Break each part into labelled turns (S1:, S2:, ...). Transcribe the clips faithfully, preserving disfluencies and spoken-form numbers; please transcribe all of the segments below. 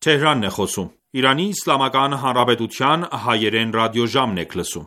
S1: Թեհրանն է խոսում։ Իրանի Իսլամական Հանրապետության հայերեն ռադիոժամն եք լսում։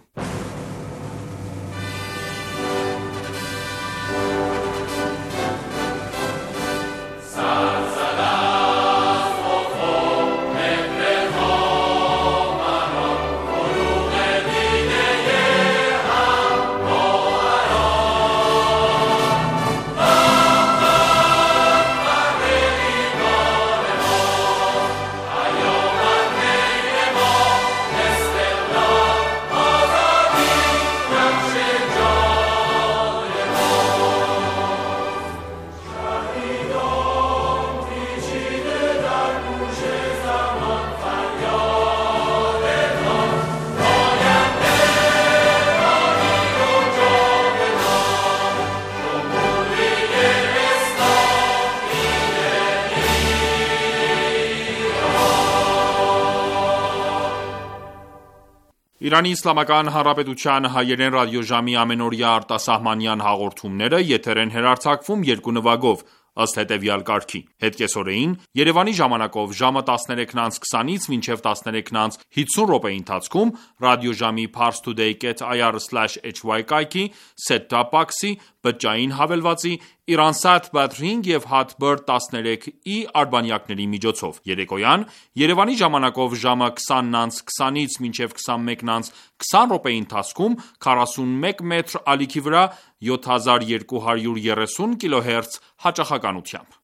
S1: Իրանի Իսլամական Հանրապետության հայերեն ռադիոժամի ամենօրյա արտասահմանյան հաղորդումները եթեր են հեռարձակվում երկու նվագով, ըստ հետևյալ կարգի. Հետկեսօրեին Երևանի ժամանակով ժամը տասներեքն անց քսանից մինչև տասներեքն անց հիսուն րոպեի ընթացքում ռադիոժամի parstoday dot i r slash h y կայքի, set-top box-ի, բջջային հավելվածի, Iransat Badring և Hatbird տասներեք i արբանյակների միջոցով։ Երեկոյան Երևանի ժամանակով ժամը քսանն անց քսանից մինչև քսանմեկն անց քսան րոպեի ընթացքում քառասունմեկ մետր ալիքի վրա յոթ հազար երկու հարյուր երեսուն կիլոհերց հաճախականությամբ։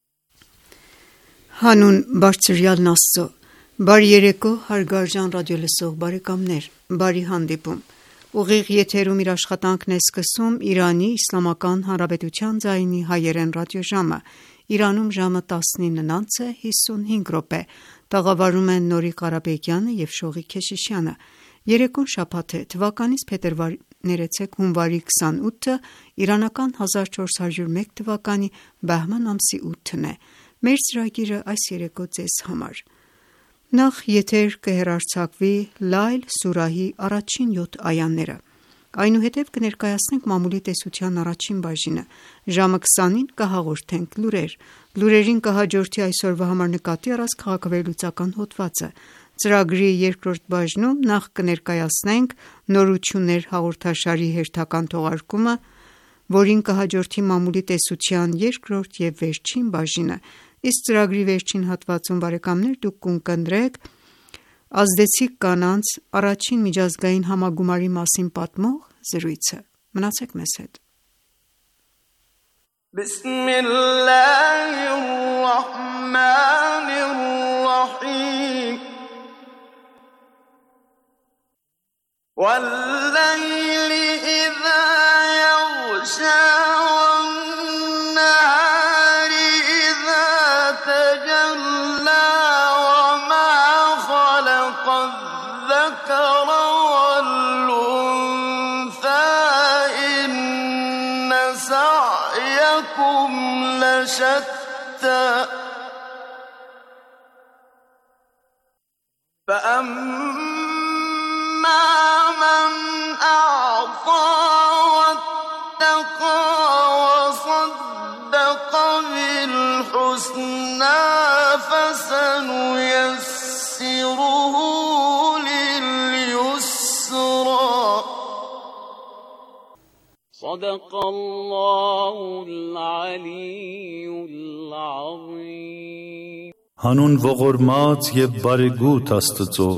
S2: Հանուն Բարձրյալն Աստծո, բարի երեկո հարգարժան ռադիոլսող բարեկամներ, բարի հանդիպում։ Ուղիղ եթերում իր աշխատանքն է սկսում Իրանի Իսլամական Հանրապետության ձայնի հայերեն ռադիոժամը։ Իրանում ժամը տասնինն անց է հիսունհինգ րոպե։ Տաղավարում են Նորի Ղարաբեկյանը և Շողիկ Քեշիշյանը։ Երեկոն շաբաթ է, թվականից փետրվարի ներեցեք հունվարի քսանութը, իրանական հազար չորս հարյուր մեկ թվականի բահման ամսի ութն է։ Մեր ծրագիրը այս երեկո ձեզ համար։ Նախ եթեր կհեռարձակվի Լայլ սուրահի առաջին յոթ այաները։ Այնուհետև կներկայացնենք մամուլի տեսության առաջին բաժինը։ Ժամը քսանին կհաղորդենք լուրեր։ Լուրերին կհաջորդի այսօրվա համար նկատի առած քաղաքավերլուծական հոդվածը։ Ծրագրի երկրորդ բաժնում նախ կներկայացնենք նորություններ հաղորդաշարի հերթական թողարկումը, որին կհաջորդի մամուլի տեսության երկրորդ և վերջին բաժինը, իսկ ծրագրի վերջին հատվածում բարեկամներ դուք կընկերեք ազդեցիկ կանանց առաջին միջազգային համագումարի մասին պատմող զրույցը։ Մնացեք մեզ հետ։
S3: والليل إذا يغشى والنهار إذا تجلى وما خلق الذكر والأنثى إن سعيكم لشتى فأما من أعطى واتقى وصدق بالحسنى فسنيسره لليسرى صدق الله العلي العظيم
S4: Հանուն ողորմած և բարեգութ Աստծո,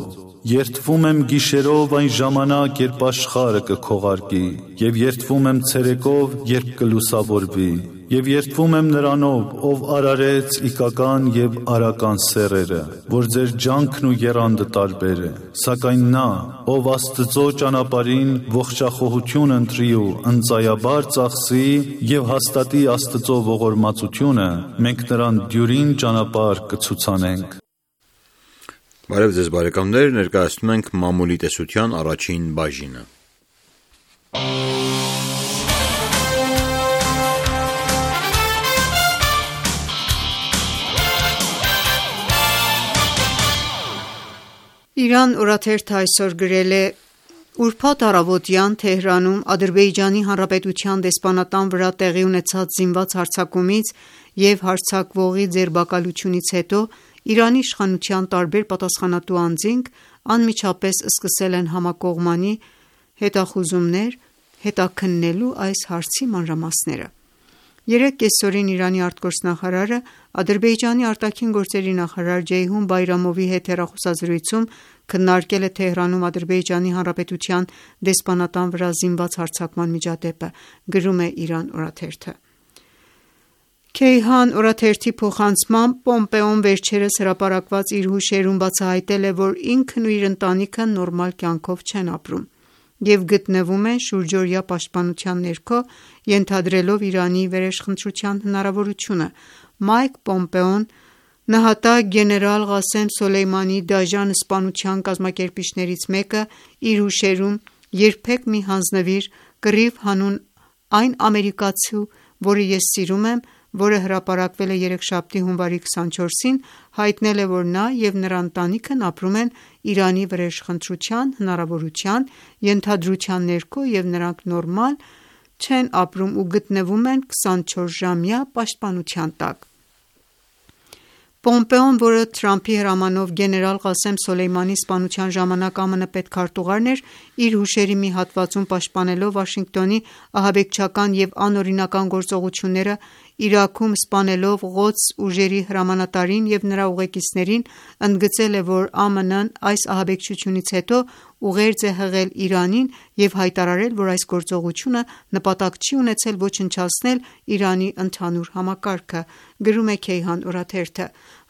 S4: երդվում եմ գիշերով այն ժամանակ, երբ աշխարհը կքողարկի, և երդվում եմ ցերեկով, երբ կլուսավորվի, և երդվում եմ Նրանով, ով արարեց իգական և արական սեռերը, որ ձեր ջանքն ու եռանդը տարբեր է, սակայն Նա, ով Աստծո ճանապարհին ողջախոհություն ընտրի ու ընծայաբար ծախսի և հաստատի Աստծո ողորմածությունը, մենք նրան դյուրին ճանապարհ կցուցանենք։
S5: Բարև ձեզ բարեկամներ, ներկայացնում ենք մամուլի տեսության առաջին բաժինը։
S2: Իրան օրաթերթը այսօր գրել է. Ուրբաթ առավոտյան Թեհրանում Ադրբեջանի Հանրապետության դեսպանատան վրա տեղի ունեցած զինված հարձակումից և հարձակվողի ձերբակալությունից հետո Իրանի իշխանության տարբեր պատասխանատու անձինք անմիջապես սկսել են համակողմանի հետախուզումներ՝ հետաքննելու այս հարցի մանրամասները։ Երեկ կեսօրին Իրանի արտգործնախարարը Ադրբեջանի արտաքին գործերի նախարար Ջեյհուն Բայրամովի հետ հեռախոսազրույցում քննարկել է Թեհրանում Ադրբեջանի Հանրապետության դեսպանատան վրա զինված հարձակման միջադեպը, գրում է Իրան օրաթերթը։ Քեյհան օրաթերթի փոխանցմամբ Պոմպեոն վերջերս հրապարակված իր հուշերում բացահայտել է, որ ինքն ու իր ընտանիքը նորմալ կյանքով չեն ապրում և գտնվում են շուրջօրյա պաշտպանության ներքո, ենթադրելով Իրանի վերեշխնդրության հնարավորությունը։ Մայք Պոմպեոն նահատակ գեներալ Ղասեմ Սոլեյմանի դաժան սպանության կազմակերպիչներից մեկը իր հուշերում «Երբեք մի հանձնվիր» կռիվ հանուն այն ամերիկացու, որը ես սիրում եմ, որը հրապարակվել է երեքշաբթի հունվարի քսանչորսին, հայտնել է, որ նա և նրա ընտանիքն ապրում են Իրանի վրեժխնդրության հնարավորության ենթադրության ներքո և նրանք նորմալ չեն ապրում ու գտնվում են քսանչորսժամյա պաշտպանության տակ։ Պոմպեոն, որը Թրամփի հրամանով գեներալ Ղասեմ Սոլեյմանի սպանության ժամանակ ԱՄՆ պետքարտուղարն էր, իր հուշերի մի հատվածում պաշտպանելով Վաշինգտոնի ահաբեկչական և անօրինական գործողությունները Իրաքում սպանելով Ղոդս ուժերի հրամանատարին և նրա ուղեկիցներին, ընդգծել է, որ ԱՄՆ-ն այս ահաբեկչությունից հետո ուղերձ է հղել Իրանին և հայտարարել, որ այս գործողությունը նպատակ չի ունեցել ոչնչացնել Իրանի ընդհանուր համակարգը, գրում է Քեյհան օրաթերթը։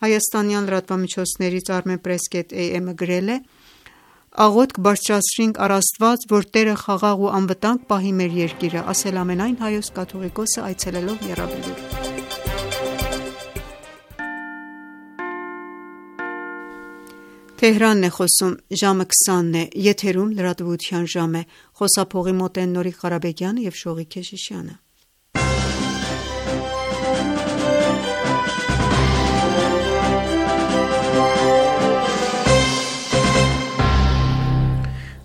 S2: Հայաստանյան լրատվամիջոցներից Armenpress կետ A M-ը գրել է. «Աղոթք բարձրացրինք առ Աստված, որ Տերը խաղաղ ու անվտանգ պահի մեր երկիրը», ասել ամենայն հայոց կաթողիկոսը այցելելով Եռաբլուր։ Թեհրանն է խոսում, ժամը քսանն է, եթերում լրատվության ժամ է, խոսափողի մոտ են Նորիկ Ղարաբեկյանը և Շողիկ Քեշիշյանը։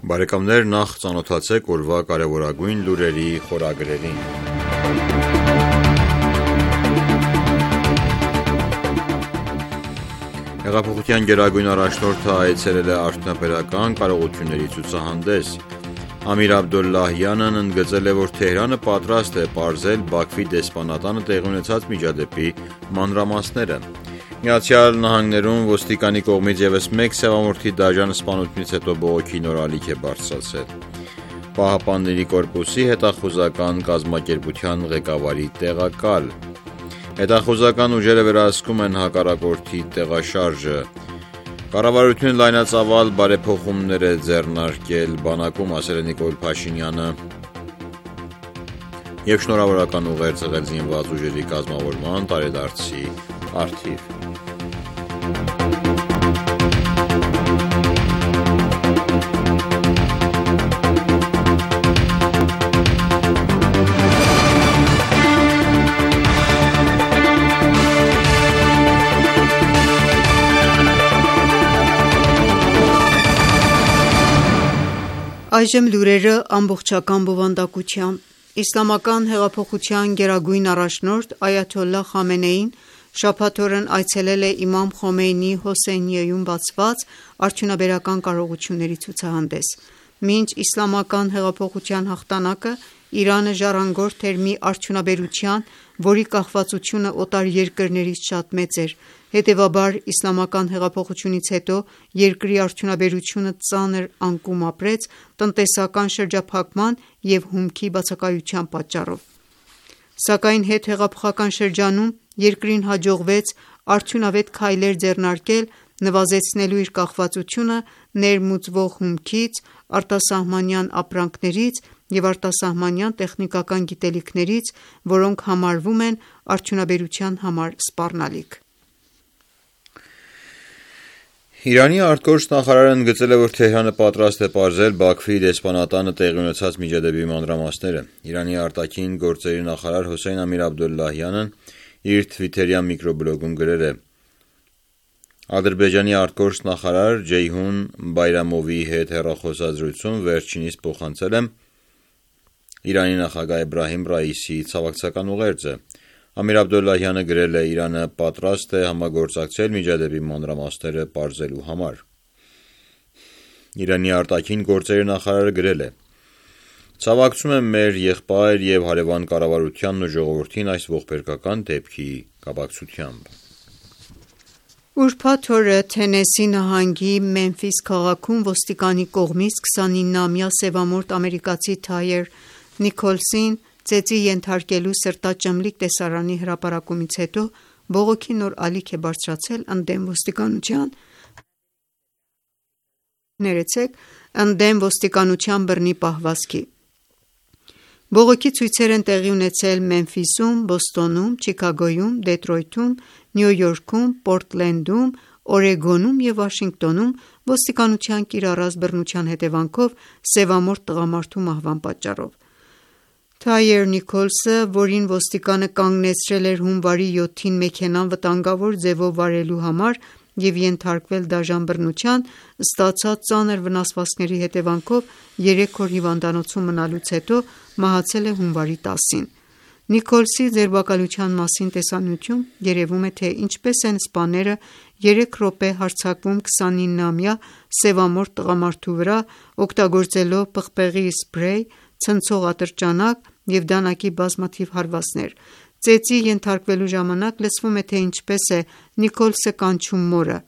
S5: Բարեկամներ, նախ ծանոթացեք օրվա կարևորագույն լուրերի խորագրերին։ Հեղափոխության գերագույն առաջնորդը այցելել է արդյունաբերական կարողությունների ցուցահանդես։ Ամիր Աբդոլլահյանն ընդգծել է, որ Թեհրանը պատրաստ է պարզել Բաքվի դեսպանատանը տեղի ունեցած միջադեպի մանրամասները։ Միացյալ Նահանգներում ոստիկանի կողմից ևս մեկ սևամորթի դաժան սպանությունից հետո բողոքի նոր ալիք է բարձրացել։ Պահապանների կորպուսի հետախուզական կազմակերպության ղեկավարի տեղակալ։ Հետախուզական ուժերը վերահսկում են հակառակորդի տեղաշարժը։ Կառավարությունը լայնածավալ բարեփոխումներ է ձեռնարկել բանակում, ասել է Նիկոլ Փաշինյանը, և շնորհավորական ուղերձ հղել զինված ուժերի կազմավորման տարեդարձի առթիվ։
S2: Այժմ լուրերը ամբողջական բովանդակությամբ։ Իսլամական հեղափոխության գերագույն առաջնորդ Այաթոլլահ Խամենեին շաբաթ օրն այցելել է Իմամ Խոմեյնիի Հոսեյնիեում բացված արդյունաբերական կարողությունների ցուցահանդես։ Մինչ իսլամական հեղափոխության հաղթանակը Իրանը ժառանգորդ էր մի արդյունաբերության, որի կախվածությունը օտար երկրներից շատ մեծ էր, հետևաբար իսլամական հեղափոխությունից հետո երկրի արդյունաբերությունը ծանր անկում ապրեց տնտեսական շրջափակման և հումքի բացակայության պատճառով։ Սակայն հետհեղափոխական շրջանում երկրին հաջողվեց արդյունավետ քայլեր ձեռնարկել նվազեցնելու իր կախվածությունը ներմուծվող հումքից, արտասահմանյան ապրանքներից և արտասահմանյան տեխնիկական գիտելիքներից, որոնք համարվում են արդյունաբերության համար սպառնալիք։
S5: Իրանի արտգործնախարարը ընդգծել է, որ Թեհրանը պատրաստ է պարզել Բաքվի դեսպանատանը տեղի ունեցած միջադեպի մանրամասները։ Իրանի արտաքին գործերի նախարար Հոսեյն Ամիր Աբդոլլահյանն իր թվիթերյան միկրոբլոգում գրել է. Ադրբեջանի արտգործնախարար Ջեյհուն Բայրամովի հետ հեռախոսազրույցում վերջինիս փոխանցել եմ Իրանի նախագահ Էբրահիմ Ռայիսիի ցավակցական ուղերձը։ Ամիր Աբդոլլահյանը գրել է. Իրանը պատրաստ է համագործակցել միջադեպի մանրամասները պարզելու համար։ Իրանի արտաքին գործերի նախարարը գրել է. Ցավակցում եմ մեր եղբայր եւ հարևան կառավարությանն ու ժողովրդին այս ողբերգական դեպքի կապակցությամբ։
S2: Ուրբաթ օրը Թենեսի նահանգի Մեմֆիս քաղաքում ոստիկանի կողմից քսանինամյա սևամորթ ամերիկացի Թայեր Նիքոլսին ծեծի ենթարկելու սրտաճմլիկ տեսարանի հրապարակումից հետո բողոքի նոր ալիք է բարձրացել ընդդեմ ոստիկանության ներեցեք ընդդեմ ոստիկանության բռնի պահվածքի։ Բողոքի ցույցեր են տեղի ունեցել Մեմֆիսում, Բոստոնում, Չիկագոյում, Դեթրոյթում, Նյու Յորքում, Պորտլենդում, Օրեգոնում և Վաշինգտոնում ոստիկանության կիրառած բռնության հետևանքով սևամորթ տղամարդու մահվան պատճառով։ Թայեր Նիքոլսը, որին ոստիկանը կանգնեցրել էր հունվարի յոթին մեքենան վտանգավոր ձևով վարելու համար և ենթարկվել դաժան բռնության, ստացած ծանր վնասվածքների հետևանքով երեք օր հիվանդանոցում մնալուց հետո մահացել է հունվարի տասին։ Նիքոլսի ձերբակալության մասին տեսանյութում երևում է, թե ինչպես են սպաները երեք րոպե հարձակվում քսանինամյա սևամորթ տղամարդու վրա, օգտագործելով պղպեղի սփրեյ, ցնցող ատրճանակ և դանակի բազմաթիվ հարվածներ։ Ծեծի ենթարկվելու ժամանակ լսվում է, թե ինչպես է Նիքոլսը կանչում մորը։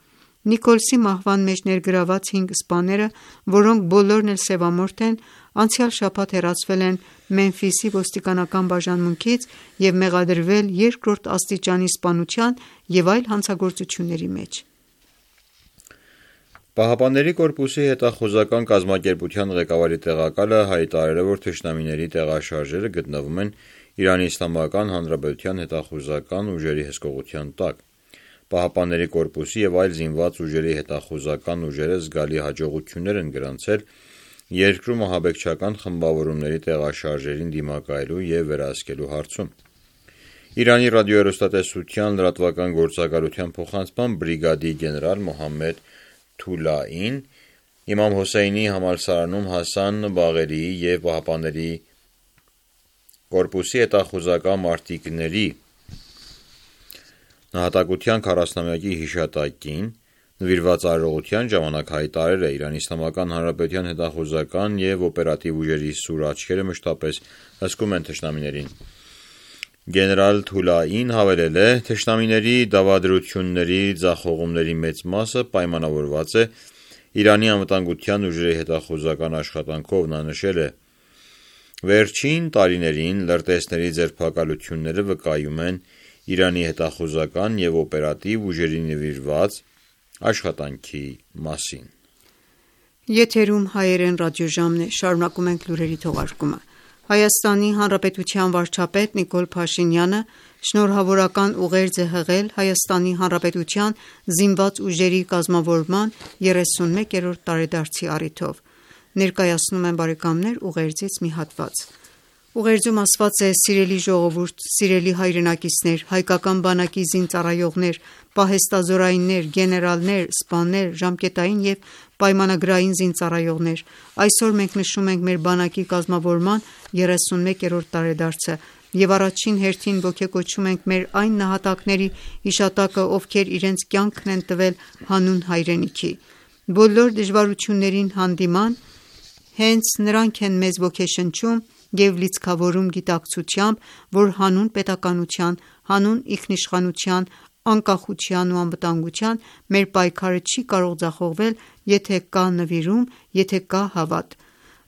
S2: Նիքոլսի մահվան մեջ ներգրաված հինգ սպաները, որոնք բոլորն էլ սևամորթ են, անցյալ շաբաթ հեռացվել են Մեմֆիսի ոստիկանական բաժանմունքից և մեղադրվել երկրորդ աստիճանի սպանության և այլ հանցագործությունների մեջ։
S5: Պահապանների կորպուսի հետախուզական կազմակերպության ղեկավարի տեղակալը հայտարարել է, որ թշնամիների տեղաշարժերը գտնվում են Իրանի Իսլամական Հանրապետության հետախուզական ուժերի հսկողության տակ։ Պահապանների կորպուսի և այլ զինված ուժերի հետախուզական ուժերը զգալի հաջողություններ են գրանցել երկրում ահաբեկչական խմբավորումների տեղաշարժերին դիմակայելու և վերահսկելու հարցում։ Իրանի ռադիոհեռուստատեսության լրատվական գործակալության փոխանցման բրիգադի գեներալ Մոհամմեդ Թուլային Իմամ Հոսեյնի համալսարանում Հասան Բաղերիի և Պահապանների կորպուսի հետախուզական մարտիկների նահատակության քառասնամյակի հիշատակին նվիրված արարողության ժամանակ հայտարարել է. Իրանի Իսլամական Հանրապետության հետախուզական և օպերատիվ ուժերի սուր աչքերը մշտապես հսկում են թշնամիներին։ Գեներալ Թուլային հավելել է. թշնամիների դավադրությունների ձախողումների մեծ մասը պայմանավորված է Իրանի անվտանգության ուժերի հետախուզական աշխատանքով։ Նա նշել է. վերջին տարիներին լրտեսների ձերբակալությունները վկայում են Իրանի հետախուզական և օպերատիվ ուժերի նվիրված աշխատանքի մասին։
S2: Եթերում հայերեն ռադիոժամն է, շարունակում ենք լուրերի թողարկումը։ Հայաստանի Հանրապետության վարչապետ Նիկոլ Փաշինյանը շնորհավորական ուղերձ է հղել Հայաստանի Հանրապետության զինված ուժերի կազմավորման երեսունմեկերորդ տարեդարձի առիթով։ Ներկայացնում են ուղերձից մի հատված։ Ուղերձում ասված է. «Սիրելի ժողովուրդ, սիրելի հայրենակիցներ, հայկական բանակի զինծառայողներ, պահեստազորայիններ, գեներալներ, սպաներ, ժամկետային և պայմանագրային զինծառայողներ, այսօր մենք նշում ենք մեր բանակի կազմավորման երեսունմեկերորդ տարեդարձը և առաջին հերթին ոգեկոչում ենք մեր այն նահատակների հիշատակը, ովքեր իրենց կյանքն են տվել հանուն հայրենիքի։ Բոլոր դժվարություններին հանդիման հենց նրանք են մեզ ոգեշնչում և լիցքավորում գիտակցությամբ, որ հանուն պետականության, հանուն ինքնիշխանության, անկախության ու անվտանգության մեր պայքարը չի կարող ձախողվել, եթե կա նվիրում, եթե կա հավատ։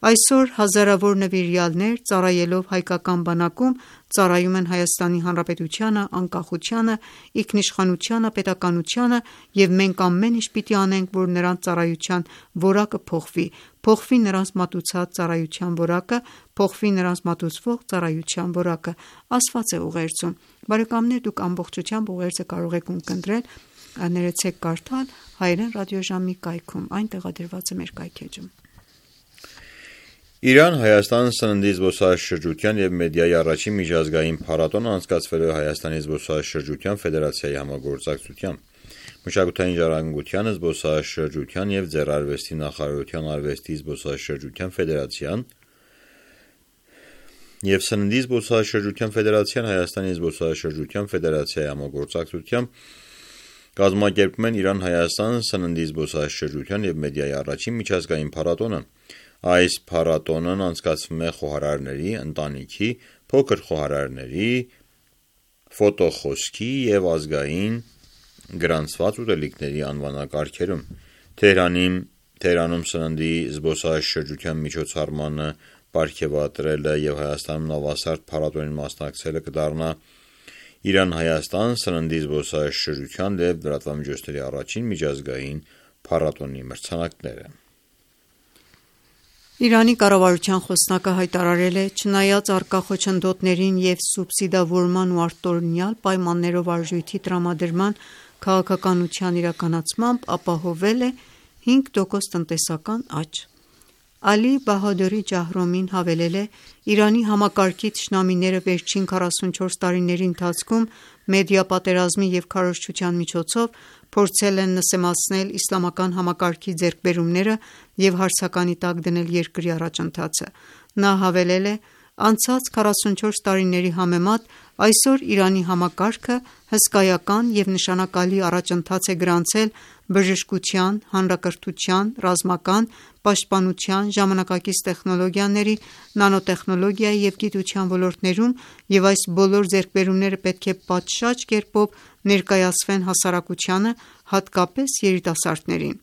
S2: Այսօր հազարավոր նվիրյալներ ծառայելով հայկական բանակում ծառայում են Հայաստանի Հանրապետությանը, անկախությանը, ինքնիշխանությանը, պետականությանը և մենք ամեն ինչ պիտի անենք, որ նրանց ծառայության որակը փոխվի, փոխվի նրանց մատուցած ծառայության որակը, փոխվի նրանց մատուցվող ծառայության որակը», ասված է ուղերձում։ Բարեկամներ, դուք ամբողջությամբ ուղերձը կարող եք ունկնդրել ներեցեք կարդալ հայերեն ռադիոժամի կայքում, այն տեղադրված է մեր կայքէջում։
S5: Իրան-Հայաստան սննդի զբոսաշրջության և մեդիայի առաջին միջազգային փառատոնը անցկացվել է Հայաստանի զբոսաշրջության ֆեդերացիայի համագործակցությամբ։ Մշակութային ժառանգության, զբոսաշրջության և ձեռարվեստի նախարարության արվեստի զբոսաշրջության ֆեդերացիան և Սննդի զբոսաշրջության ֆեդերացիան Հայաստանի զբոսաշրջության ֆեդերացիայի համագործակցությամբ կազմակերպում են Իրան-Հայաստան սննդի զբոսաշրջության և մեդիայի առաջին միջազգային փառատոնը։ Այս փառատոնն անցկացվում է խոհարարների, ընտանիքի, փոքր խոհարարների, ֆոտոխոսքի և ազգային գրանցված ուտելիքների անվանակարգերում։ Թեհրանի Թեհրանում սննդի զբոսաշրջության միջոցառմանը պարգևատրելը և Հայաստանում նավասարդ փառատոնին մասնակցելը կդառնա Իրան-Հայաստան սննդի զբոսաշրջության և լրատվամիջոցների առաջին միջազգային փառատոնի մրցանակները։
S2: Իրանի կառավարության խոսնակը հայտարարել է. «Չնայած առկա խոչընդոտներին և սուբսիդավորման ու արտօրինյալ պայմաններով արժույթի տրամադրման քաղաքականության իրականացմամբ ապահովել է հինգ տոկոս տնտեսական աճ»։ Ալի Բահադորի Ջահրոմին հավելել է. «Իրանի համակարգի թշնամիները վերջին քառասունչորս տարիների ընթացքում մեդիա պատերազմի և քարոզչության միջոցով փորձել են նսեմացնել իսլամական համակարգի ձեռքբերումները և հարցականի տակ դնել երկրի առաջընթացը»։ Նա հավելել է. «Անցած քառասունչորս տարիների համեմատ այսօր Իրանի համակարգը հսկայական և նշանակալի առաջընթաց է գրանցել բժշկության, հանրակրթության, ռազմական, պաշտպանության, ժամանակակից տեխնոլոգիաների, նանոտեխնոլոգիայի և գիտության ոլորտներում, և այս բոլոր ձեռքբերումները պետք է պատշաճ կերպով ներկայացվեն հասարակությանը, հատկապես երիտասարդներին»։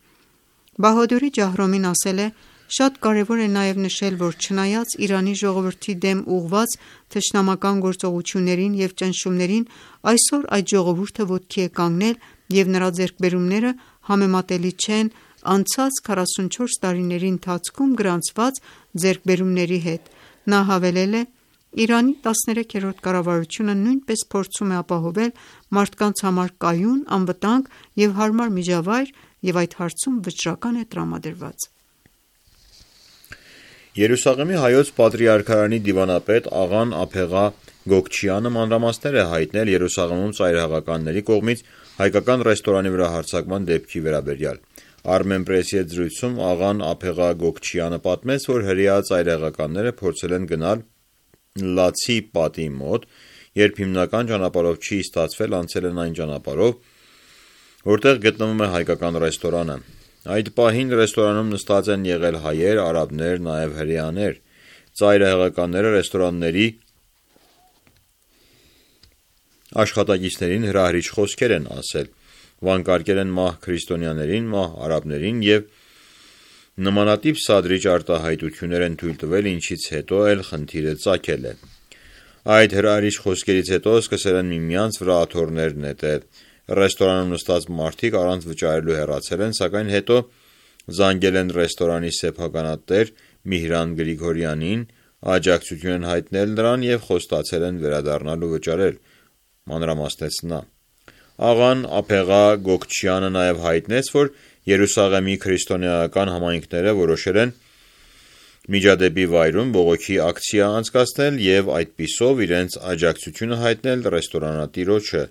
S2: Բահադորի Ջահրոմին ասել է. «Շատ կարևոր է նաև նշել, որ չնայած Իրանի ժողովրդի դեմ ուղղված թշնամական գործողություններին և ճնշումներին, այսօր այդ ժողովուրդը ոտքի է կանգնել, և նրա ձեռքբերումները համեմատելի չեն անցած քառասունչորս տարիների ընթացքում գրանցված ձեռքբերումների հետ»։ Նա հավելել է. «Իրանի տասներեքերորդ կառավարությունը նույնպես փորձում է ապահովել մարդկանց համար կայուն, անվտանգ և հարմար միջավայր և այդ հարցում վճռական է տրամադրված»։
S5: Երուսաղեմի հայոց պատրիարքարանի դիվանապետ աղան Ափեղա Գոգչյանը մանրամասներ է հայտնել Երուսաղեմում ծայրահեղականների կողմից հայկական ռեստորանի վրա հարձակման դեպքի վերաբերյալ։ Armenpress-ի հետ զրույցում աղան Ափեղա Գոգչյանը պատմեց, որ հրեա ծայրահեղականները փորձել են գնալ Լացի պատի մոտ, երբ հիմնական ճանապարհով չի ստացվել, անցել են այն ճանապարհով, որտեղ գտնվում է հայկական ռեստորանը։ Այդ պահին ռեստորանում նստած են եղել հայեր, արաբներ, նաև հրեաներ։ Ծայրահեղականները ռեստորանների աշխատակիցներին հրահրիչ խոսքեր են ասել, վանկարկել են մահ քրիստոնյաներին, մահ արաբներին և նմանատիպ սադրիչ արտահայտություններ են թույլ տվել, ինչից հետո էլ խնդիրը ծագել է։ Այդ հրահրիչ խոսքերից հետո սկսել են միմյանց վրա աթոռներ նետել։ Ռեստորանում նստած մարդիկ առանց վճարելու հեռացել են, սակայն հետո զանգել են ռեստորանի սեփականատեր Միհրան Գրիգորյանին, աջակցություն են հայտնել նրան և խոստացել են վերադառնալ ու վճարել, մանրամասնեց նա։ Աղան Ափեղա Գոգչյանը նաև հայտնեց, որ Երուսաղեմի քրիստոնեական համայնքները որոշել են միջադեպի վայրում բողոքի ակցիա անցկացնել և այդպիսով իրենց աջակցությունը հայտնել ռեստորանատիրոջը։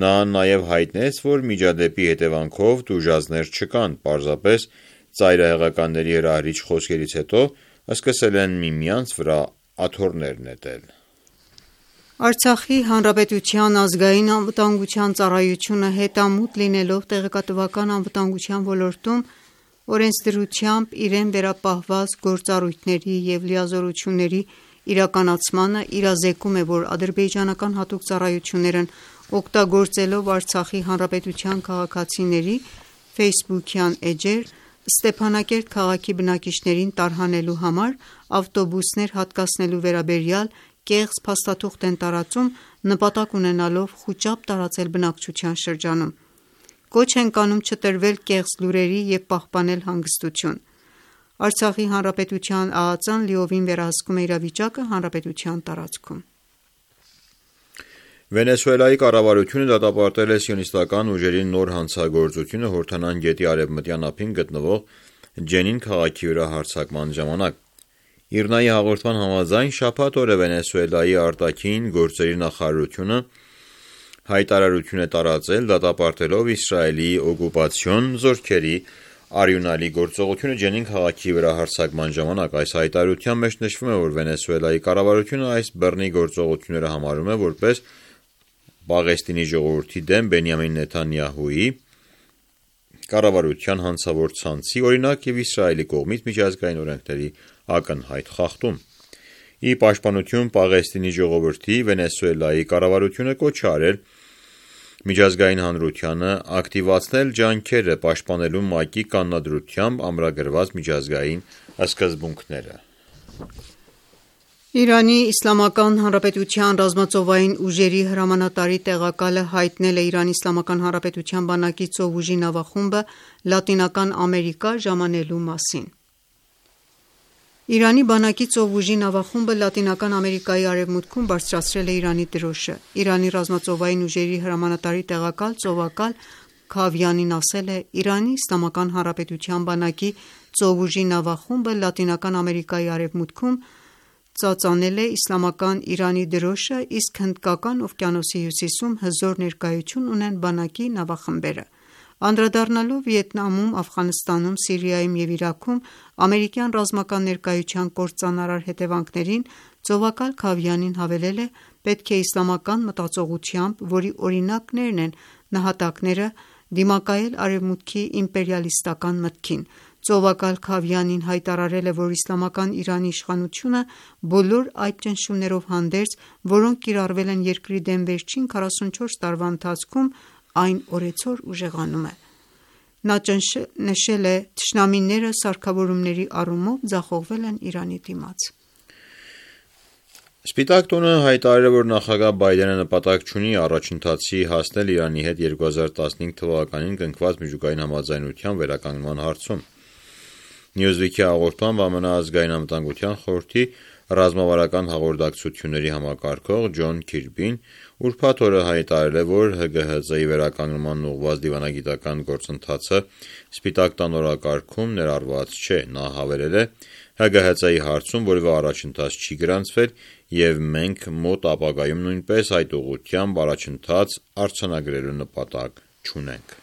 S5: Նա նաև հայտնեց, որ միջադեպի հետևանքով տուժածներ չկան, պարզապես ծայրահեղականների հրահրիչ խոսքերից հետո սկսել են միմյանց վրա աթոռներ նետել։
S2: Արցախի հանրապետության ազգային անվտանգության ծառայությունը հետամուտ լինելով տեղեկատվական անվտանգության ոլորտում օրենսդրությամբ իրեն վերապահված գործառույթների և լիազորությունների իրականացմանը իրազեկում է, որ ադրբեջանական հատուկ ծառայություններն օգտագործելով Արցախի հանրապետության քաղաքացիների ֆեյսբուքյան էջեր Ստեփանակերտ քաղաքի բնակիչներին տարհանելու համար ավտոբուսներ հատկացնելու վերաբերյալ կեղծ փաստաթուղթ են տարածում, նպատակ ունենալով խուճապ տարածել բնակչության շրջանում։ Կոչ ենք անում չտրվել կեղծ լուրերի և պահպանել հանգստություն։ Արցախի հանրապետության ԱԱԾ-ն լիովին վերահսկում է իրավիճակը հանրապետության տարածքում։
S5: Վենեսուելայի կառավարությունը դատապարտել է սիոնիստական ուժերի նոր հանցագործությունը Հորդանան գետի արևմտյան ափին գտնվող Ջենին քաղաքի վրա հարձակման ժամանակ։ ԻՌՆԱ-ի հաղորդման համաձայն շաբաթ օրը Վենեսուելայի արտաքին գործերի նախարարությունը հայտարարություն է տարածել դատապարտելով Իսրայելի օկուպացիոն զորքերի արյունալի գործողությունը Ջենին քաղաքի վրա հարձակման ժամանակ։ Այս հայտարարության մեջ նշվում է, որ Վենեսուելայի կառավարությունը այս բռնի գործողությունները համարում է որպես Պաղեստինի ժողովրդի դեմ Բենյամին Նեթանյահուի կառավարության հանցավոր ցանցի օրինակ եւ Իսրայելի կողմից միջազգային օրենքների ակնհայտ խախտում։ Ի պաշտպանություն Պաղեստինի ժողովրդի Վենեսուելայի կառավարությունը կոչ է արել միջազգային հանրությանը ակտիվացնել ջանքերը պաշտպանելու ՄԱԿ-ի կանոնադրությամբ ամրագրված միջազգային սկզբունքները։
S2: Իրանի Իսլամական Հանրապետության ռազմածովային ուժերի հրամանատարի տեղակալը հայտնել է Իրանի Իսլամական Հանրապետության բանակի ծովուժի նավախումբը Լատինական Ամերիկա ժամանելու մասին։ Իրանի բանակի ծովուժի նավախումբը Լատինական Ամերիկայի արևմուտքում բարձրացրել է Իրանի դրոշը։ Իրանի ռազմածովային ուժերի հրամանատարի տեղակալ ծովակալ Քավյանին ասել է. «Իրանի Իսլամական Հանրապետության բանակի ծովուժի նավախումբը Լատինական Ամերիկայի արևմուտքում ծածանել է իսլամական Իրանի դրոշը, իսկ Հնդկական օվկիանոսի հյուսիսում հզոր ներկայություն ունեն բանակի նավախմբերը»։ Անդրադառնալով Վիետնամում, Աֆղանստանում, Սիրիայում և Իրաքում ամերիկյան ռազմական ներկայության կործանարար հետևանքներին ծովակալ Քավյանին հավելել է. «Պետք է իսլամական մտածողությամբ, որի օրինակներն են նահատակները, դիմակայել Արևմուտքի իմպերիալիստական մտքին»։ Ծովակալ Քավյանին հայտարարել է, որ Իսլամական Իրանի իշխանությունը բոլոր այդ ճնշումներով հանդերձ, որոնք կիրառվել են երկրի դեմ վերջին քառասունչորս տարվա ընթացքում, այն օրեցօր ուժեղանում է։ Նա նշել է. «Թշնամիները սարքավորումների առումով ձախողվել են Իրանի դիմաց»։
S5: Սպիտակ տունը հայտարարել է, որ նախագահ Բայդենը նպատակ չունի առաջընթացի հասնել Իրանի հետ երկու հազար տասնհինգ թվականին կնքված միջուկային համաձայնության վերականգնման հարցում։ Newsweek-ի հաղորդմամբ ԱՄՆ ազգային անվտանգության խորհրդի ռազմավարական հաղորդակցությունների համակարգող Ջոն Քիրբին ուրբաթ օրը հայտարարել է, որ ՀԳՀԾ-ի վերականգնման ուղղված դիվանագիտական գործընթացը Սպիտակ տան օրակարգում ներառված չէ։ Նա հավելել է. «ՀԳՀԾ-ի հարցում որևէ առաջընթաց չի գրանցվել և մենք մոտ ապագայում նույնպես այդ ուղղությամբ առաջընթաց արձանագրելու նպատակ չունենք»։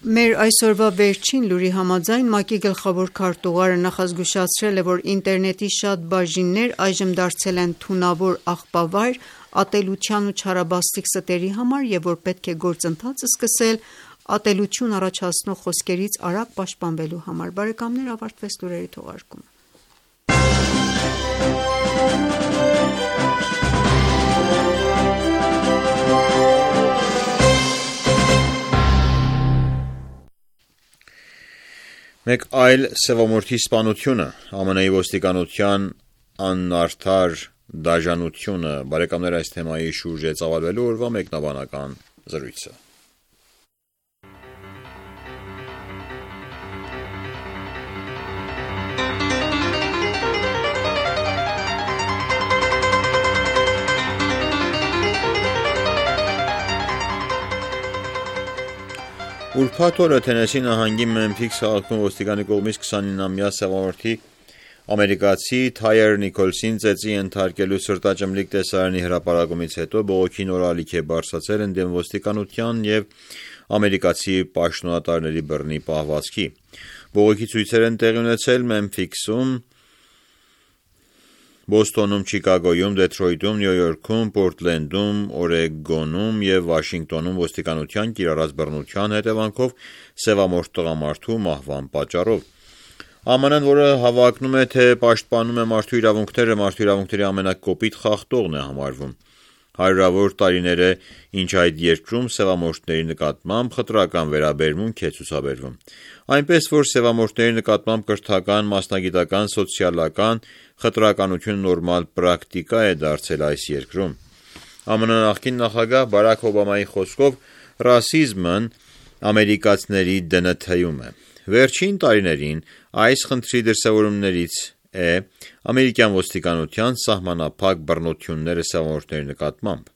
S2: Մեր այսօրվա վերջին լուրի համաձայն ՄԱԿ-ի գլխավոր քարտուղարը նախազգուշացրել է, որ ինտերնետի շատ բաժիններ այժմ դարձել են թունավոր աղբավայր ատելության ու չարաբաստիկ ստերի համար և որ պետք է գործընթաց սկսել ատելություն առաջացնող խոսքերից արագ պաշտպանվելու համար։ Բարեկամներ, ավարտվեց լուրերի թողարկումը։
S5: Մեկ այլ սևամորթի սպանությունը, ԱՄՆ-ի ոստիկանության անարդար դաժանությունը։ Բարեկամներ, այս թեմայի շուրջ է ծավալվելու օրվա մեկնաբանական զրույցը։ Ուրբաթ օրը Թենեսի նահանգի Մեմփիս քաղաքում ոստիկանի կողմից քսանինամյա սևամորթի ամերիկացի Թայեր Նիկոլսին ծեծի ենթարկելու սրտաճմլիկ տեսարանի հրապարակումից հետո բողոքի նոր ալիք է բարձրացել ընդդեմ ոստիկանության և ամերիկացի պաշտոնատարների բռնի պահվածքի։ Բողոքի ցույցեր են տեղի ունեցել Մեմփիսում, Բոստոնում, Չիկագոյում, Դեթրոյթում, Նյու Յորքում, Պորտլենդում, Օրեգոնում և Վաշինգտոնում ոստիկանության կիրառած բռնության հետևանքով սևամորթ տղամարդու մահվան պատճառով։ ԱՄՆ-ն, որը հավակնում է, թե պաշտպանում է մարդու իրավունքները, մարդու իրավունքների ամենակոպիտ խախտողն է համարվում։ Հարյուրավոր տարիներ է, ինչ այդ երկրում սևամորթների նկատմամբ խտրական վերաբերմունք է ցուցաբերվում։ Այնպես, որ սևամորթների նկատմամբ կրթական, մասնագիտական, սոցիալական խտրականությունը նորմալ պրակտիկա է դարձել այս երկրում։ ԱՄՆ նախկին նախագահ Բարաք Օբամայի խոսքով ռասիզմն ամերիկացիների դնթում է։ Վերջին տարիներին այս խնդրի դրսևորումներից է ամերիկյան ոստիկանության սահմանափակ բռնությունները սևամորթների նկատմամբ։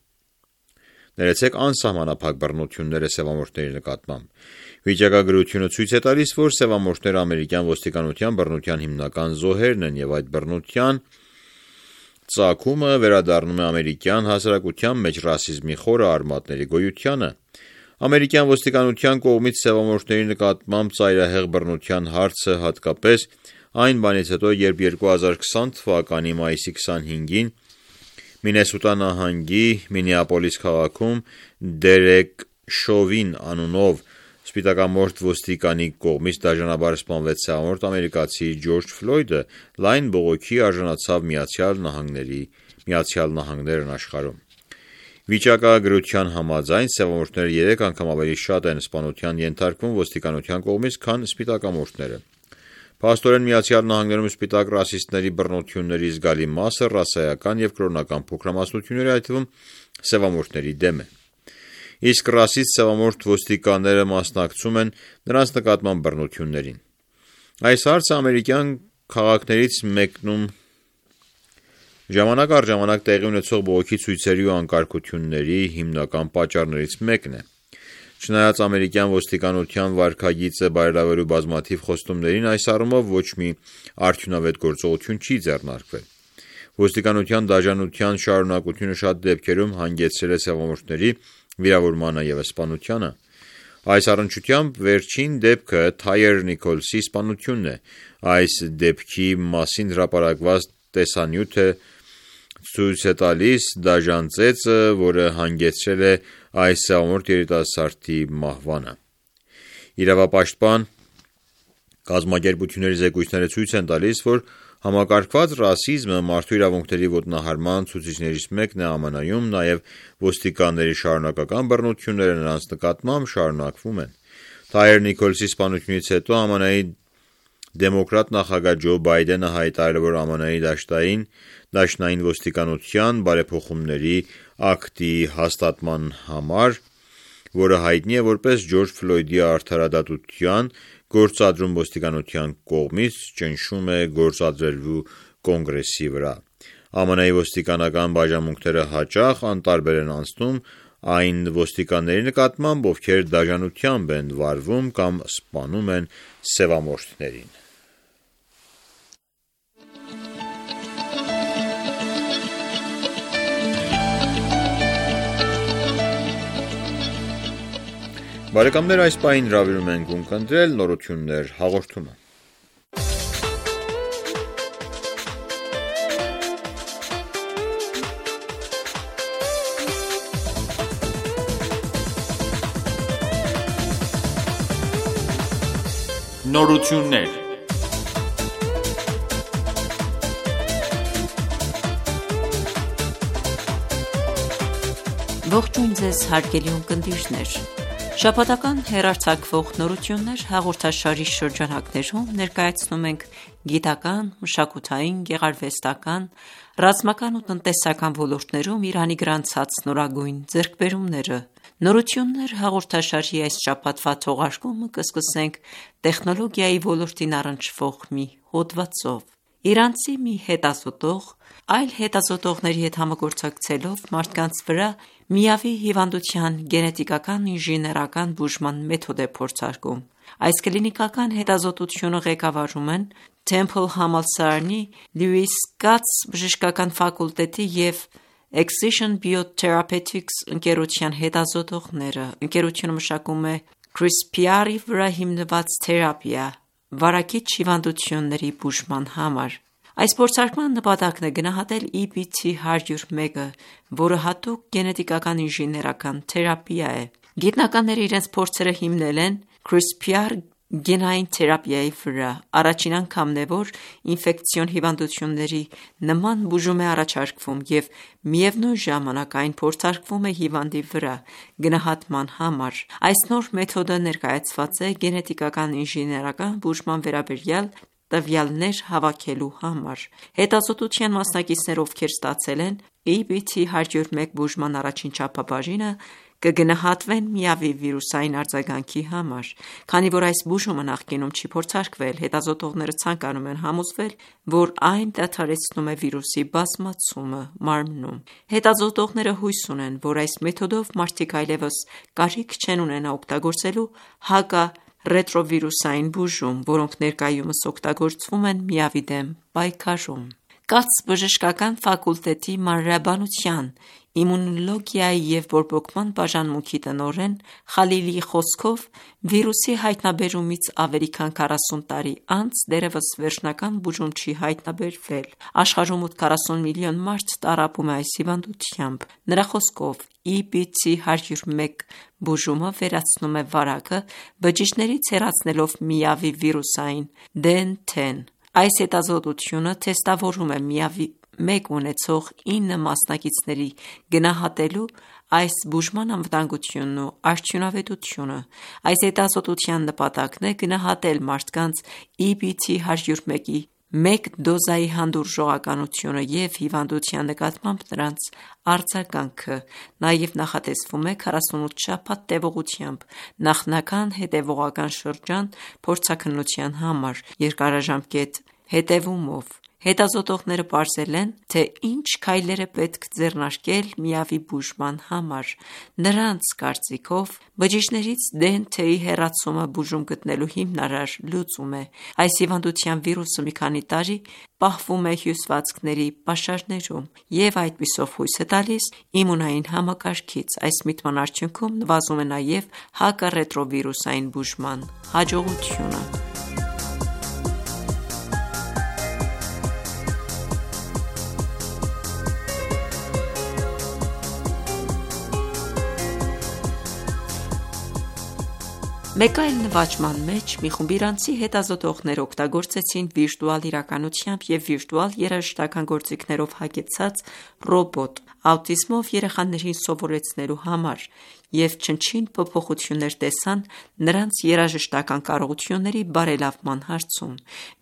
S5: Ներեցեք անսահմանափակ բռնությունները սևամորթների նկատմամբ։ Վիճակագրությունը ցույց է տալիս, որ սևամորթները ամերիկյան ոստիկանության բռնության հիմնական զոհերն են և այդ բռնության ծագումը վերադառնում է ամերիկյան հասարակության մեջ ռասիզմի խորը արմատների գոյությանը։ Ամերիկյան ոստիկանության կողմից սևամորթների նկատմամբ ծայրահեղ բռնության հարցը, հատկապես այն բանից հետո, երբ երկու հազար քսան թվականի մայիսի քսանհինգին Մինեսոտա նահանգի Մինեապոլիս քաղաքում Դերեկ Շովին անունով սպիտակամորթ ոստիկանի կողմից դաժանաբար սպանվեց սևամորթ ամերիկացի Ջորջ Ֆլոյդը, լայն բողոքի արժանացավ Միացյալ Նահանգների Միացյալ Նահանգներն աշխարհում։ Վիճակագրության համաձայն սևամորթները երեք անգամ ավելի շատ են սպանության ենթարկվում ոստիկանության կողմից, քան սպիտակամորթները։ Փաստորեն Միացյալ Նահանգներում սպիտակ ռասիստների բռնությունների զգալի մասը ռասայական եւ կրոնական փոքրամասնությունների, այդ թվում սևամորթների դեմ է։ Իսկ ռասիստ սևամորթ ոստիկանները մասնակցում են նրանց նկատմամբ բռնություններին։ Այս հարցը ամերիկյան քաղաքներից մեկնում ժամանակ առ ժամանակ տեղի ունեցող բողոքի ցույցերի ու անկարգությունների հիմնական պատճառներից մեկն է։ Չնայած ամերիկյան ոստիկանության վարքագիծը բարելավելու բազմաթիվ խոստումներին, այս առումով ոչ մի արդյունավետ գործողություն չի ձեռնարկվել։ Ոստիկանության դաժանության շարունակությունը շատ դեպքերում հանգեցրել է սևամորթների վիրավորմանը եւ սպանությանը։ Այս առնչությամբ վերջին դեպքը Թայեր Նիքոլսի սպանությունն է։ Այս դեպքի մասին հրապարակված տեսանյութը ցույց է տալիս դաժան ծեծը, որը հանգեցրել է այս սևամորթ երիտասարդի մահվանը։ Իրավապաշտպան կազմակերպությունների զեկույցները ցույց են տալիս, որ համակարգված ռասիզմը մարդու իրավունքների ոտնահարման ցուցիչներից մեկն է ԱՄՆ-ում, նաև ոստիկանների շարունակական բռնությունները նրանց նկատմամբ շարունակվում են։ Թայեր Նիքոլսի սպանությունից հետո ԱՄՆ-ի դեմոկրատ նախագահ Ջո Բայդենը հայտարարել, որ ԱՄՆ-ի դաշտային դաշնային ոստիկանության բարեփոխումների ակտի հաստատման համար, որը հայտնի է որպես Ջորջ Ֆլոյդի արդարադատության գործադրում ոստիկանության կողմից, ճնշում է գործադրելու կոնգրեսի վրա։ ԱՄՆ-ի ոստիկանական բաժանմունքները հաճախ անտարբեր են անցնում այն ոստիկանների նկատմամբ, ովքեր դաժանությամբ են վարվում կամ սպանում են սևամորթներին։ Բարեկամներ, այս պահին հրավիրում ենք ունկնդրել նորություններ հաղորդումը։
S1: Նորություններ։
S2: Ողջույն ձեզ հարգելի ունկնդիրներ։ Շաբաթական հեռարձակվող նորություններ հաղորդաշարի շրջանակներում ներկայացնում ենք գիտական, մշակութային, գեղարվեստական, ռազմական ու տնտեսական ոլորտներում Իրանի գրանցած նորագույն ձեռքբերումները։ Նորություններ հաղորդաշարի այս շաբաթվա թողարկումը կսկսենք տեխնոլոգիայի ոլորտին առնչվող մի հոդվածով։ Իրանցի մի հետազոտող այլ հետազոտողների հետ համագործակցելով մարդկանց վրա միավի հիվանդության գենետիկական ինժեներական բուժման մեթոդ է փորձարկում։ Այս կլինիկական հետազոտությունը ղեկավարում են Temple համալսարանի Lewis Katz բժշկական ֆակուլտետի և Excision Biotherapeutics ընկերության հետազոտողները։ Ընկերությունը մշակում է CRISPR-ի վրա հիմնված թերապիա վարակիչ հիվանդությունների բուժման համար։ Այս փորձարկման նպատակն է գնահատել E B T one oh one-ը, որը հատուկ գենետիկական ինժեներական թերապիա է։ Գիտնականները իրենց փորձերը հիմնել են CRISPR գենային թերապիայի վրա։ Առաջին անգամն է, որ ինֆեկցիոն հիվանդությունների նման բուժում է առաջարկվում և միևնույն ժամանակ այն փորձարկվում է հիվանդի վրա գնահատման համար։ Այս նոր մեթոդը ներկայացված է գենետիկական ինժեներական բուժման վերաբերյալ տվյալներ հավաքելու համար։ Հետազոտության մասնակիցները, ովքեր ստացել են E B T one oh one բուժման առաջին չափաբաժինը, կգնահատվեն միավի վիրուսային արձագանքի համար։ Քանի որ այս բուժումը նախկինում չի փորձարկվել, հետազոտողները ցանկանում են համոզվել, որ այն դադարեցնում է վիրուսի բազմացումը մարմնում։ Հետազոտողները հույս ունեն, որ այս մեթոդով մարդիկ այլևս կարիք չեն ունենա օգտագործելու հակա ռետրովիրուսային բուժում, որոնք ներկայումս օգտագործվում են միավի դեմ պայքարում։ Կաց բժշկական ֆակուլտետի մանրէաբանության
S6: իմունոլոգիայի և բորբոքման բաժանմունքի տնօրեն Խալիլիի խոսքով, վիրուսի հայտնաբերումից ավելի քան քառասուն տարի անց դեռևս վերջնական բուժում չի հայտնաբերվել։ Աշխարհում մոտ քառասուն միլիոն մարդ տառապում է այս հիվանդությամբ։ Նրա խոսքով, ի բի ցի հարյուր մեկ բուժումը վերացնում է վարակը, բջիջներից հեռացնելով միավի վիրուսային դե են թեն։ Այս հետազոտությունը թեստավորում է միավի մեկ ունեցող ինը մասնակիցների գնահատելու այս բուժման անվտանգությունն ու արդյունավետությունը։ Այս հետազոտության նպատակն է գնահատել մարդկանց ի բի ցի հարյուր մեկի մեկ դոզայի հանդուրժողականությունը և հիվանդության նկատմամբ նրանց արձագանքը։ Նաև նախատեսվում է քառասունութ շաբաթ տևողությամբ նախնական հետևողական շրջան փորձաքննության համար երկարաժամկետ հետևումով։ Հետազոտողները պարզել են, թե ինչ քայլեր է պետք ձեռնարկել միավի բուժման համար։ Նրանց կարծիքով, բջիջներից դե են թեի հեռացումը բուժում գտնելու հիմնարար լուծում է։ Այս հիվանդության վիրուսը մի քանի տարի պահվում է հյուսվածքների պաշարներում և այդպիսով հույս է տալիս իմունային համակարգից։ Այս միտման արդյունքում նվազում է նաև հակառետրովիրուսային բուժման հաջողությունը։ Մեկ այլ նվաճման մեջ մի խումբ իրանցի հետազոտողներ օգտագործեցին վիրտուալ իրականությամբ և վիրտուալ երաժշտական գործիքներով հագեցած ռոբոտ՝ աուտիզմով երեխաներին սովորեցնելու համար և չնչին փոփոխություններ տեսան նրանց երաժշտական կարողությունների բարելավման հարցում։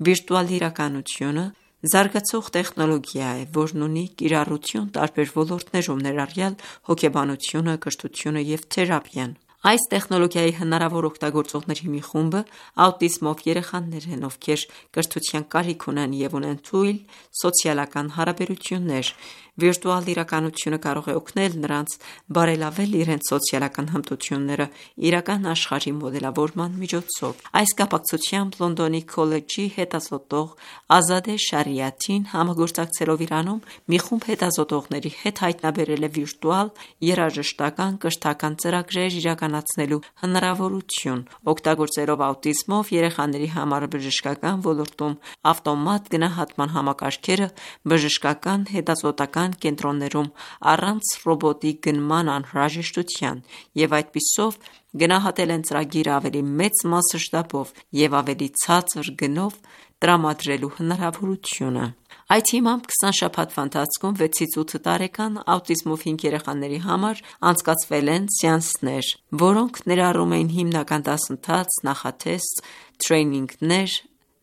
S6: Վիրտուալ իրականությունը զարգացող տեխնոլոգիա է, որն ունի կիրառություն տարբեր ոլորտներում, ներառյալ հոգեբանությունը, կրթությունը և թերապիան։ Այս տեխնոլոգիայի հնարավոր օգտագործողների մի խումբը աուտիզմով երեխաներ են, ովքեր կրթության կարիք ունեն և ունեն թույլ սոցիալական հարաբերություններ։ Վիրտուալ իրականությունը կարող է օգնել նրանց բարելավել իրենց սոցիալական հմտությունները իրական աշխարհի մոդելավորման միջոցով։ Այս կապակցությամբ Լոնդոնի քոլեջի հետազոտող Ազադե Շարիաթին համագործակցելով Իրանում մի խումբ հետազոտողների հետ հայտնաբերել է վիրտուալ երաժշտական կրթական ծրագրեր իրականացնելու հնարավորություն՝ օգտագործելով աուտիզմով երեխաների համար բժշկական ոլորտում ավտոմատ գնահատման համակարգերը բժշկական հետազոտական կենտրոններում առանց ռոբոտի գնման անհրաժեշտության, և այդպիսով գնահատել են ծրագիրը ավելի մեծ մասշտաբով և ավելի ցածր գնով տրամադրելու հնարավորությունը։ Այդ հիմամբ քսան շաբաթվա ընթացքում վեցից ութ տարեկան աուտիզմով հինգ երեխաների համար անցկացվել են սեանսներ, որոնք ներառում էին հիմնական դասընթաց, նախաթեստ, տրեյնինգներ,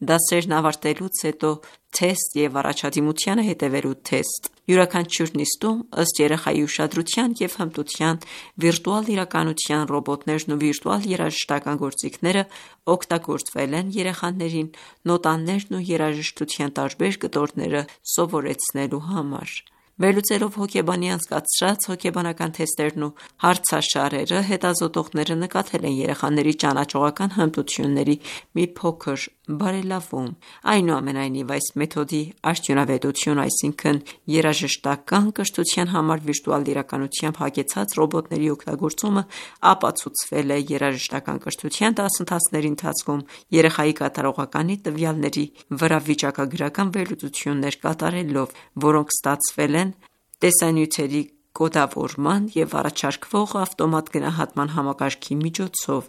S6: դասերն ավարտելուց հետո թեստ և առաջադիմությանը հետևելու թեստ։ Յուրաքանչյուր նիստում, ըստ երեխայի ուշադրության և հմտության, վիրտուալ իրականության ռոբոտներն ու վիրտուալ երաժշտական գործիքները օգտագործվել են երեխաներին նոտաներն ու երաժշտության տարբեր կտորները սովորեցնելու համար։ Վերլուծելով հոգեբանի անցկացրած հոգեբանական թեստերն ու հարցաշարերը, հետազոտողները նկատել են երեխաների ճանաչողական հմտությունների մի փոքր բարելավում։ Այնուամենայնիվ, այս մեթոդի արդյունավետությունը, այսինքն երաժշտական կրթության համար վիրտուալ իրականությամբ հագեցած ռոբոտների օգտագործումը, ապացուցվել է երաժշտական կրթության դասընթացների ընթացքում երեխայի կատարողականի տվյալների վրա վիճակագրական վերլուծություններ կատարելով, որոնք ստացվել են տեսանյութերի կոդավորման և առաջարկվող ավտոմատ գնահատման համակարգի միջոցով։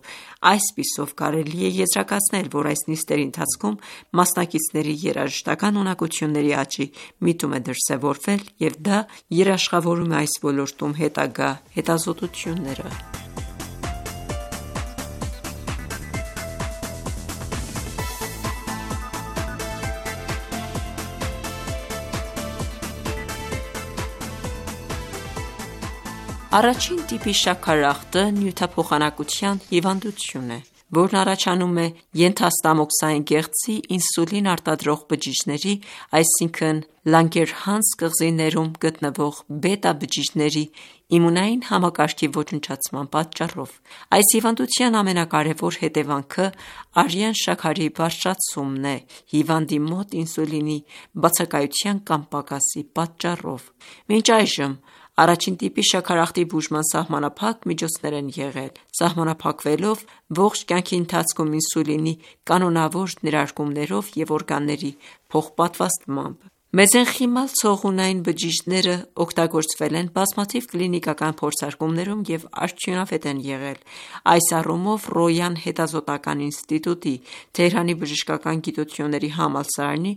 S6: Այսպիսով կարելի է եզրակացնել, որ այս նիստերի ընթացքում մասնակիցների երաժշտական ունակությունների աճի միտում է դրսևորվել, և դա երաշխավորում է այս ոլորտում հետագա հետազոտությունները։ Առաջին տիպի շաքարախտը նյութափոխանակության հիվանդություն է, որն առաջանում է ենթաստամոքսային գեղձի ինսուլին արտադրող բջիջների, այսինքն Լանգերհանս կղզիներում գտնվող բետա բջիջների իմունային համակարգի ոչնչացման պատճառով։ Այս հիվանդության ամենակարևոր հետևանքը արյան շաքարի բարձրացումն է հիվանդի մոտ ինսուլինի բացակայության կամ պակասի պատճառով։ Մինչ այժմ Առաջին տիպի շաքարախտի բուժման սահմանափակ միջոցներ են եղել, սահմանափակվելով ողջ կյանքի ընթացքում ինսուլինի կանոնավոր ներարկումներով և օրգանների փոխպատվաստմամբ։ Մեզենխիմալ ցողունային բջիջները օգտագործվել են բազմաթիվ կլինիկական փորձարկումներում և արդյունավետ են եղել։ Այս առումով Ռոյան հետազոտական ինստիտուտի, Թեհրանի բժշկական գիտությունների համալսարանի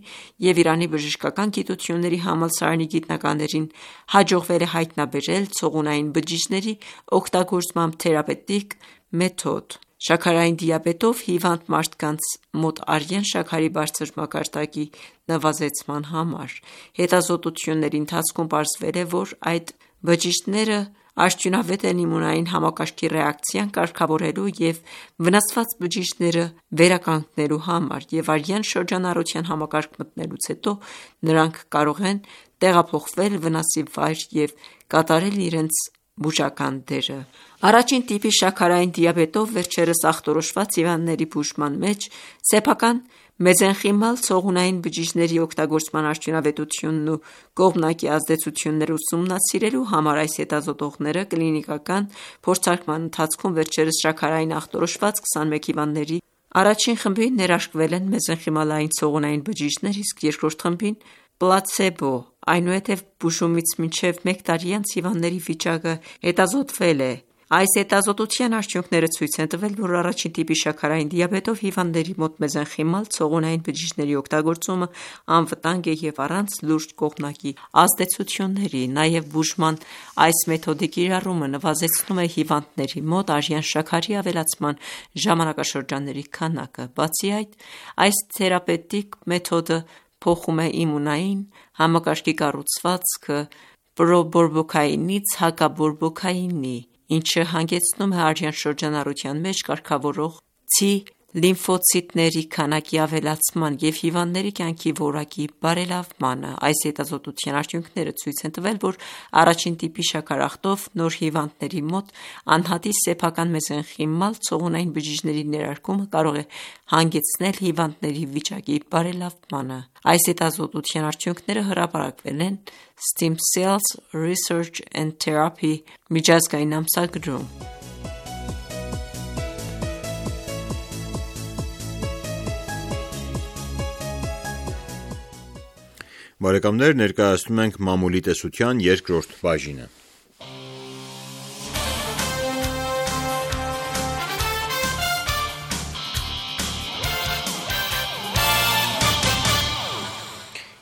S6: և Իրանի բժշկական գիտությունների համալսարանի գիտնականներին հաջողվել է հայտնաբերել ցողունային բջիջների օգտագործման թերապևտիկ մեթոդ։ Շաքարային դիաբետով հիվանդ մարդկանց մոտ արյան շաքարի բարձր մակարդակի նվազեցման համար։ Հետազոտությունների ընթացքում պարզվել է, որ այդ բջիջները արդյունավետ են իմունային համակարգի ռեակցիան կարգավորելու և վնասված բջիջները վերականգնելու համար, և արյան շրջանառության համակարգ մտնելուց հետո նրանք կարող են տեղափոխվել վնասի վայր և կատարել իրենց բուժական դերը։ Առաջին տիպի շաքարային դիաբետով վերջերս ախտորոշված հիվանդների բուժման մեջ սեփական մեզենխիմալ ցողունային բջիջների օգտագործման արդյունավետությունն ու կողմնակի ազդեցությունները ուսումնասիրելու համար այս հետազոտողները կլինիկական փորձարկման ընթացքում վերջերս շաքարային ախտորոշված քսանմեկ հիվանդների առաջին խմբին ներարկվել են մեզենխիմալային ցողունային բջիջներ, իսկ երկրորդ խմբին պլացեբո։ Այնուհետև բուժումից մինչև մեկ տարի անց հիվանդների վիճակը հետազոտվել է։ Այս հետազոտության արդյունքները ցույց են տվել, որ առաջին տիպի շաքարային դիաբետով հիվանդների մոտ մեզենխիմալ ցողունային բջիջների օգտագործումը անվտանգ է և առանց լուրջ կողմնակի ազդեցությունների։ Նաև բուժման այս մեթոդի կիրառումը նվազեցնում է հիվանդների մոտ արյան շաքարի ավելացման ժամանակաշրջանների քանակը։ Բացի այդ, այս թերապևտիկ մեթոդը փոխում է իմունային համակարգի կառուցվածքը պրոբորբոքայինից հակաբորբոքայինի, ինչը հանգեցնում է արյան շրջանառության մեջ կարգավորող ցի լիմֆոցիտների քանակի ավելացման և հիվանդների կյանքի որակի բարելավմանը։ Այս հետազոտության արդյունքները ցույց են տվել, որ առաջին տիպի շաքարախտով նոր հիվանդների մոտ անհատի սեփական մեզենխիմալ ցողունային բջիջների ներարկումը կարող է հանգեցնել հիվանդների վիճակի բարելավմանը։ Այս հետազոտության արդյունքները հրապարակվել են Stem Cells Research and Therapy միջազգային ամսագրում։
S5: Բարեկամներ, ներկայացնում ենք մամուլի տեսության երկրորդ բաժինը։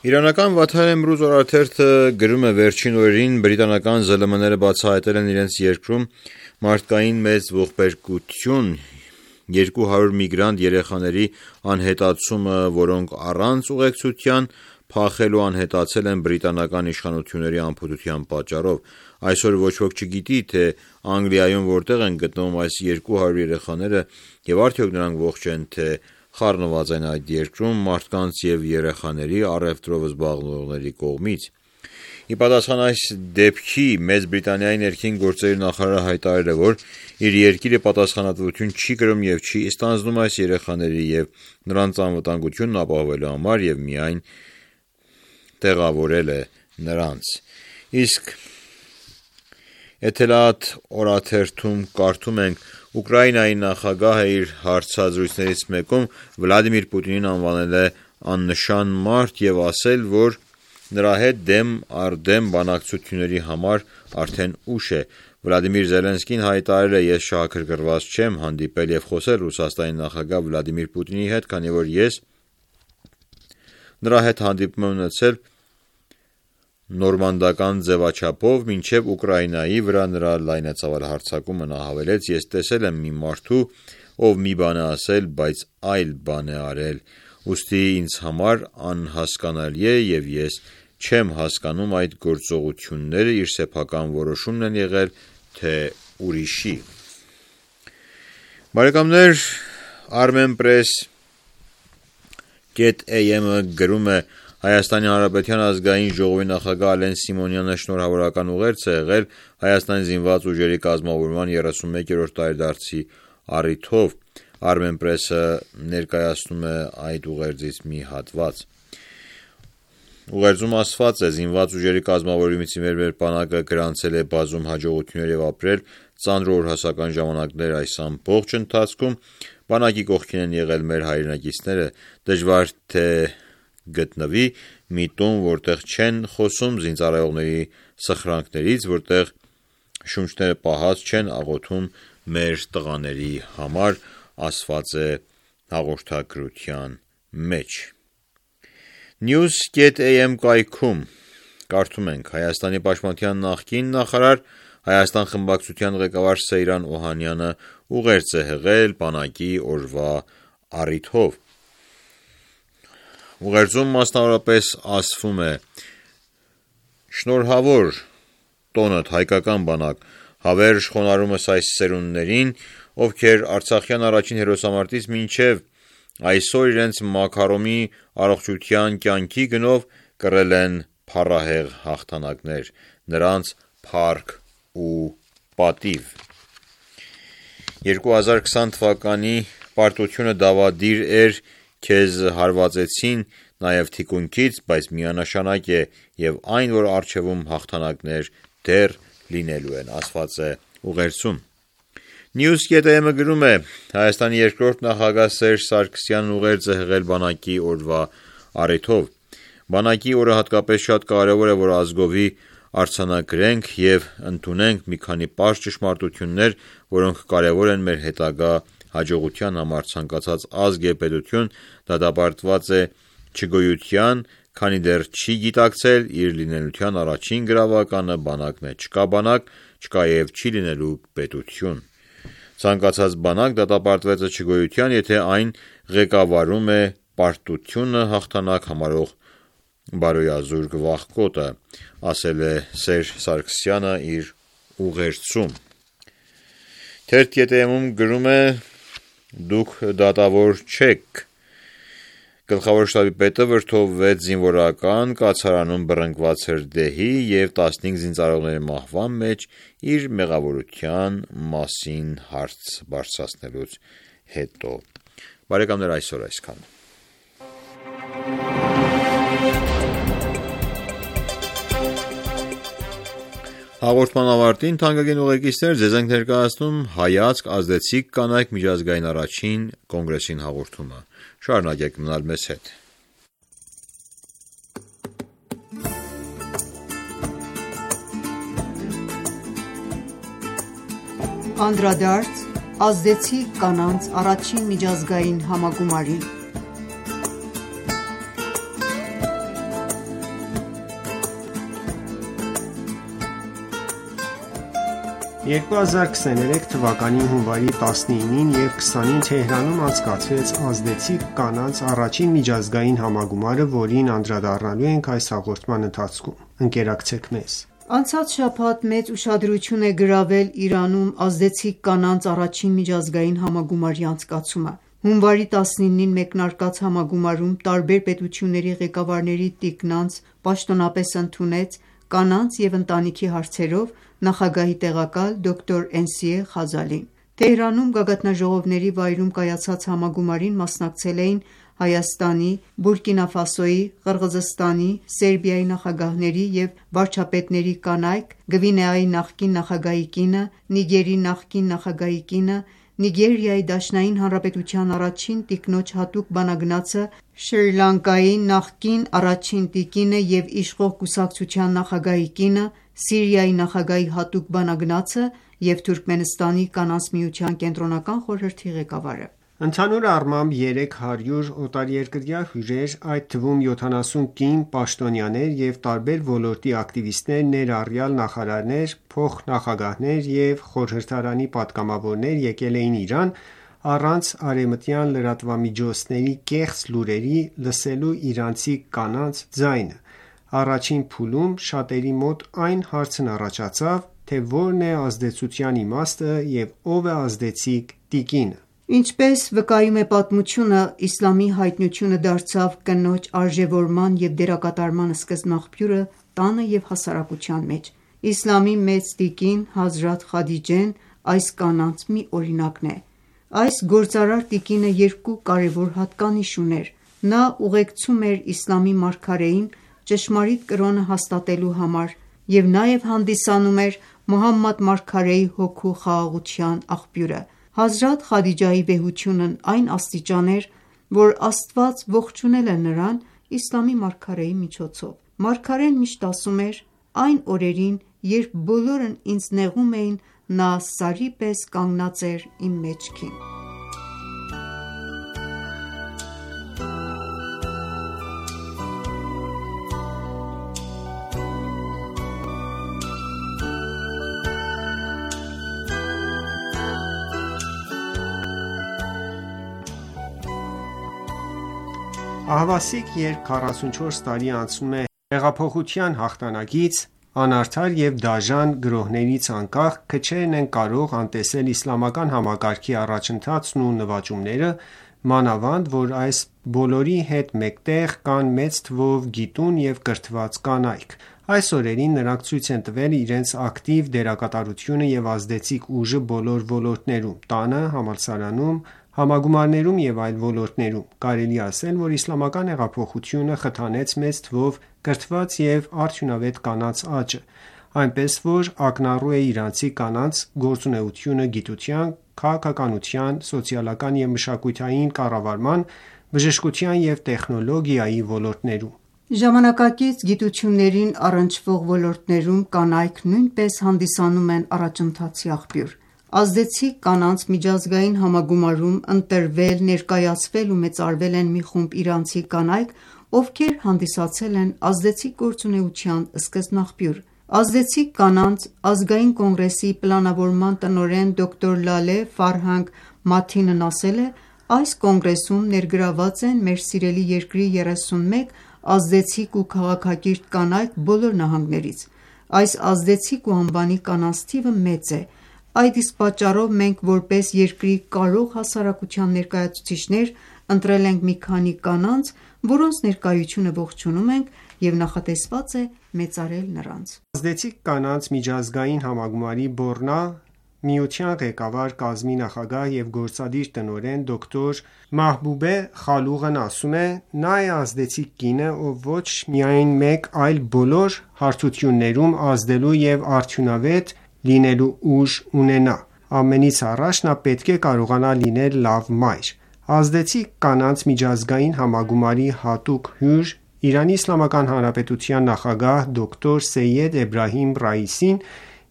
S5: Իրանական Վաթար-Էմրուզ օրաթերթը գրում է վերջին օրերին բրիտանական զլ մ-ները բացահայտել են իրենց երկրում մարդկային մեծ ողբերգություն երկու հարյուր միգրանտ երեխաների անհետացումը, որոնք առանց ուղեկցության փախել ու անհետացել են բրիտանական իշխանությունների անփութության պատճառով։ Այսօր ոչ ոք չգիտի, թե Անգլիայում որտեղ են գտնվում այս երկու հարյուր երեխաները և արդյոք նրանք ողջ են, թե խառնված են այդ երկրում մարդկանց և երեխաների առևտրով զբաղվողների կողմից։ Ի պատասխան այս դեպքի Մեծ Բրիտանիայի ներքին գործերի նախարարը հայտարարել է, որ իր երկիրը պատասխանատվություն չի կրում և չի ստանձնում այս երեխաների և նրանց անվտանգությունն ապահովելու համար և միայն տեղավորել է նրանց։ Իսկ Էթելադ օրաթերթում կարդում ենք. Ուկրաինայի նախագահը իր հարցազրույցներից մեկում Վլադիմիր Պուտինին անվանել է աննշան մարդ և ասել, որ նրա հետ դեմ առ դեմ բանակցությունների համար արդեն ուշ է։ Վլադիմիր Զելենսկին հայտարարել է. Ես շահագրգռված չեմ հանդիպել և խոսել Ռուսաստանի նախագահ Վլադիմիր Պուտինի հետ, քանի որ ես նրա հետ հանդիպում եմ ունեցել նորմանդական ձևաչափով մինչև Ուկրաինայի վրա նրա լայնածավալ հարձակումը։ Նա հավելեց. Ես տեսել եմ մի մարդու, ով մի բան է ասել, բայց այլ բան է արել, ուստի ինձ համար անհասկանալի է և ես չեմ հասկանում այդ գործողությունները իր սեփական որոշումն են եղել, թե ուրիշի։ Բարեկամներ, Armenpress կետ էյ էմ-ը գրում է. Հայաստանի Հանրապետության ազգային ժողովի նախագահ Ալեն Սիմոնյանը շնորհավորական ուղերձ է եղել Հայաստանի զինված ուժերի կազմավորման երեսունմեկերորդ տարեդարձի առիթով։ Armenpress-ը ներկայացնում է այդ ուղերձից մի հատված։ Ուղերձում ասված է. «Զինված ուժերի կազմավորումից ի վեր մեր բանակը գրանցել է բազում հաջողություններ և ապրել ծանր ու օրհասական ժամանակներ այս ամբողջ ընթացքում բանակի կողքին են եղել մեր հայրենակիցները, դժվար թե գտնվի մի տուն, որտեղ չեն խոսում զինծառայողների սխրանքներից, որտեղ շունչները պահած չեն աղոթում մեր տղաների համար», ասված է հաղորդագրության մեջ։ News.am կայքում կարդում ենք. Հայաստանի պաշտպանության նախկին նախարար, Հայաստան խմբակցության ղեկավար Սեյրան Օհանյանը ուղերձ է հղել բանակի օրվա առիթով։ Ուղերձում մասնավորապես ասվում է. «Շնորհավոր տոնդ հայկական բանակ, հավերժ խոնարհումս այս սերունդներին, ովքեր Արցախյան առաջին հերոսամարտից մինչև այսօր իրենց մաքարոմի առողջության կյանքի գնով կռել են փառահեղ հաղթանակներ, նրանց փառք ու պատիվ։ երկու հազար քսան թվականի պարտությունը դավադիր էր, քեզ հարվածեցին նաև թիկունքից, բայց միանշանակ է և այն, որ առջևում հաղթանակներ դեռ լինելու են», ասված է ուղերձում։ News.am-ը գրում է. «Հայաստանի երկրորդ նախագահ Սերժ Սարգսյանն ուղերձ է հղել բանակի օրվա առիթով։ Բանակի օրը հատկապես շատ կարևոր է, որ ազգովի արձանագրենք և ընդունենք մի քանի պարզ ճշմարտություններ, որոնք կարևոր են մեր հետագա հաջողության համար։ Ցանկացած ազգ և պետություն դատապարտված է չգոյության, քանի դեռ չի գիտակցել իր լինելության առաջին գրավականը բանակն է։ Չկա բանակ, չկա և չի լինելու պետություն։ Ցանկացած բանակ դատապարտված է չգոյության, եթե այն ղեկավարում է պարտությունը հաղթանակ համարող բարոյազուրկ վախկոտը», ասել է Սերժ Սարգսյանը իր ուղերձում։ Թերթ.am-ում գրում է. «Դուք դատավոր չեք»։ Գլխավոր շտաբի պետը վրդովվեց զինվորական կացարանում բռնկված հրդեհի և տասնհինգ զինծառայողների մահվան մեջ իր մեղավորության մասին հարց բարձրացնելուց հետո։ Բարեկամներ, այսօր այսքանը։ Հաղորդման ավարտին, թանկագին ուղեկիցներ, ձեզ ենք ներկայացնում «Հայացք ազդեցիկ կանայք» միջազգային առաջին կոնգրեսին հաղորդումը։ Շարունակեք մնալ մեզ հետ։
S2: Անդրադարձ ազդեցիկ կանանց առաջին միջազգային համագումարին։
S7: երկու հազար քսաներեք թվականի հունվարի տասնինին և քսանին Թեհրանում անցկացվեց ազդեցիկ կանանց առաջին միջազգային համագումարը, որին անդրադառնալու ենք այս հաղորդման ընթացքում։ Ընկերակցեք մեզ։
S2: Անցած շաբաթ մեծ ուշադրություն է գրավել Իրանում ազդեցիկ կանանց առաջին միջազգային համագումարի անցկացումը։ Հունվարի տասնինին մեկնարկած համագումարում տարբեր պետությունների ղեկավարների տիկնանց պաշտոնապես ընդունեց կանանց և ընտանիքի հարցերով նախագահի տեղակալ դոկտոր Էնսիե Խազալին։ Թեհրանում գագաթնաժողովների վայրում կայացած համագումարին մասնակցել էին Հայաստանի, Բուրկինա Ֆասոյի, Ղրղզստանի, Սերբիայի նախագահների և վարչապետների կանայք, Գվինեայի նախկին նախագահի կինը, Նիգերի նախկին նախագահի կինը, Նիգերիայի Դաշնային Հանրապետության առաջին տիկնոջ հատուկ բանագնացը, Շրի Լանկայի նախկին առաջին տիկինը և իշխող կուսակցության նախագահի կինը, Սիրիայի նախագահի հատուկ բանագնացը և Թուրքմենստանի կանանց միության կենտրոնական խորհրդի ղեկավարը։
S7: Ընդհանուր առմամբ երեք հարյուր օտարերկրյա հյուրեր, այդ թվում յոթանասուն կին պաշտոնյաներ և տարբեր ոլորտի ակտիվիստներ, ներառյալ նախարարներ, փոխնախագահներ և խորհրդարանի պատգամավորներ եկել էին Իրան առանց արևմտյան լրատվամիջոցների կեղծ լուրերի լսելու իրանցի կանանց ձայնը։ Առաջին փուլում շատերի մոտ այն հարցն առաջացավ, թե որն է ազդեցության իմաստը և ով է ազդեցիկ տիկինը։
S2: Ինչպես վկայում է պատմությունը, իսլամի հայտնությունը դարձավ կնոջ արժևորման և դերակատարման սկզբնաղբյուրը տանը և հասարակության մեջ։ Իսլամի մեծ տիկին Հազրաթ Խադիջեն այս կանանց մի օրինակն է։ Այս գործարար տիկինը երկու կարևոր հատկանիշ ուներ։ Նա ուղեկցում էր իսլամի մարգարեին ճշմարիտ կրոնը հաստատելու համար և նաև հանդիսանում էր Մուհամմադ մարգարեի հոգու խաղաղության աղբյուրը։ Հազրաթ Խադիջայի վեհությունն այն աստիճան էր, որ Աստված ողջունել է նրան իսլամի մարգարեի միջոցով։ Մարգարեն միշտ ասում էր. «Այն օրերին, երբ բոլորն ինձ նեղում էին, նա սարի պես կանգնած էր իմ մեջքին»։
S7: Ահավասիկ, երբ քառասունչորս տարի անցնում է հեղափոխության հաղթանակից, անարդար և դաժան գրոհներից անկախ, քչերն են կարող անտեսել իսլամական համակարգի առաջընթացն ու նվաճումները, մանավանդ որ այս բոլորի հետ մեկտեղ կան մեծ թվով գիտուն և կրթված կանայք։ Այս օրերին նրանք ցույց են տվել իրենց ակտիվ դերակատարությունը և ազդեցիկ ուժը բոլոր ոլորտներում՝ տանը, համալսարանում, համագումարներում և այլ ոլորտներում։ Կարելի է ասել, որ իսլամական հեղափոխությունը խթանեց մեծ թվով կրթված և արդյունավետ կանանց աճը, այնպես որ ակնառու է իրանցի կանանց գործունեությունը գիտության, քաղաքականության, սոցիալական և մշակութային կառավարման, բժշկության և տեխնոլոգիայի ոլորտներում։
S2: Ժամանակակից գիտություններին առնչվող ոլորտներում կանայք նույնպես հանդիսանում են առաջընթացի աղբյուր։ Ազդեցիկ կանանց միջազգային համագումարում ընտրվել, ներկայացվել ու մեծարվել են մի խումբ իրանցի կանայք, ովքեր հանդիսացել են ազդեցիկ գործունեության սկզբնաղբյուր։ Ազդեցիկ կանանց ազգային կոնգրեսի պլանավորման տնօրեն դոկտոր Լալե Ֆարհանգ Մաթինն ասել է. «Այս կոնգրեսում ներգրաված են մեր սիրելի երկրի երեսունմեկ ազդեցիկ ու քաղաքակիրթ կանայք բոլոր նահանգներից։ Այս ազդեցիկ ու անվանի կանանց թիվը մեծ է։ Այդ իսկ պատճառով մենք որպես երկրի կարող հասարակության ներկայացուցիչներ ընտրել ենք մի քանի կանանց, որոնց ներկայությունը ողջունում ենք և նախատեսված է մեծարել նրանց»։
S7: Ազդեցիկ կանանց միջազգային համագումարի Բոռնա միության ղեկավար կազմի նախագահ և գործադիր տնօրեն դոկտոր Մահբուբե Խալուղն ասում է. «Նա է ազդեցիկ կինը, ով ոչ միայն մեկ, այլ բոլոր հարթություններում ազդելու և արդյունավետ լինելու ուժ ունենա։ Ամենից առաջ նա պետք է կարողանա լինել լավ մայր»։ Ազդեցիկ կանանց միջազգային համագումարի հատուկ հյուր, ԻԻՀ նախագահ դոկտոր Սեյեդ Էբրահիմ Ռայիսին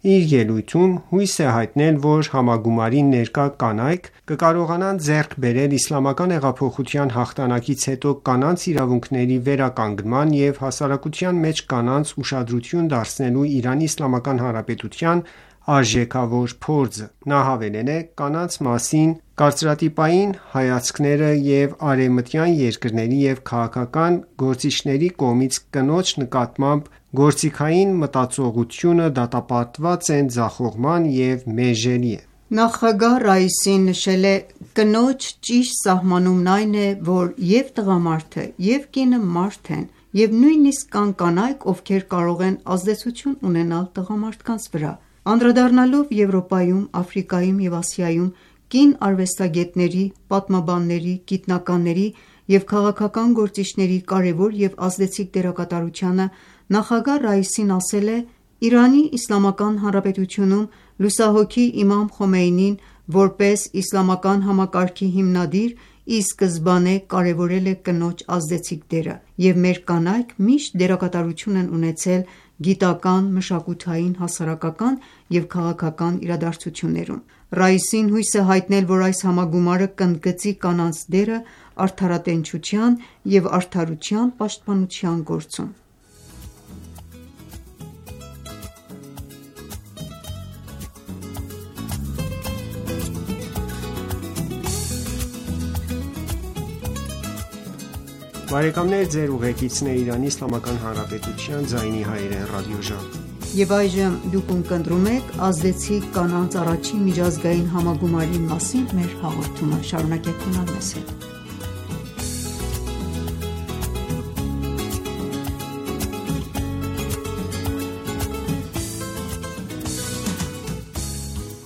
S7: իր ելույթում հույս է հայտնել, որ համագումարին ներկա կանայք կկարողանան ձեռք բերել իսլամական հեղափոխության հաղթանակից հետո կանանց իրավունքների վերականգնման և հասարակության մեջ կանանց ուշադրություն դարձնելու ԻԻՀ արժեքավոր փորձը։ Նա հավելել է. «Կանանց մասին կարծրատիպային հայացքները և արևմտյան երկրների և քաղաքական գործիչների կողմից կնոջ նկատմամբ գործիքային մտածողությունը դատապարտված են ձախողման և մերժելի են»։
S2: Նախագահ Ռայիսին նշել է. «Կնոջ ճիշտ սահմանումն այն է, որ և տղամարդը, և կինը մարդ են, և նույնիսկ կան կանայք, ովքեր կարող են ազդեցություն ունենալ տղամարդկանց վրա»։ Անդրադառնալով Եվրոպայում, Աֆրիկայում և Ասիայում կին արվեստագետների, պատմաբանների, գիտնականների և քաղաքական գործիչների կարևոր և ազդեցիկ դերակատարությանը, նախագահ Ռայիսին ասել է. «Իրանի Իսլամական Հանրապետությունում լուսահոգի Իմամ Խոմեյնին որպես իսլամական համակարգի հիմնադիր ի սկզբանե կարևորել է կնոջ ազդեցիկ դերը, և մեր կանայք միշտ դերակատարություն են ունեցել գիտական, մշակութային, հասարակական և քաղաքական իրադարձություններում»։ Ռայիսին հույս է հայտնել, որ այս համագումարը կընդգծի կանանց դերը արդարատենչության և արդարության պաշտպանության գործում։
S7: Բարեկամներ, ձեր ուղեկիցն է Իրանի Իսլամական Հանրապետության ձայնի հայերեն ռադիոժամ։
S2: Եվ այժմ դուք ունկնդրում եք ազդեցիկ կանանց առաջին միջազգային համագումարի մասին մեր հաղորդումը։ Շարունակեք մնալ մեզ հետ։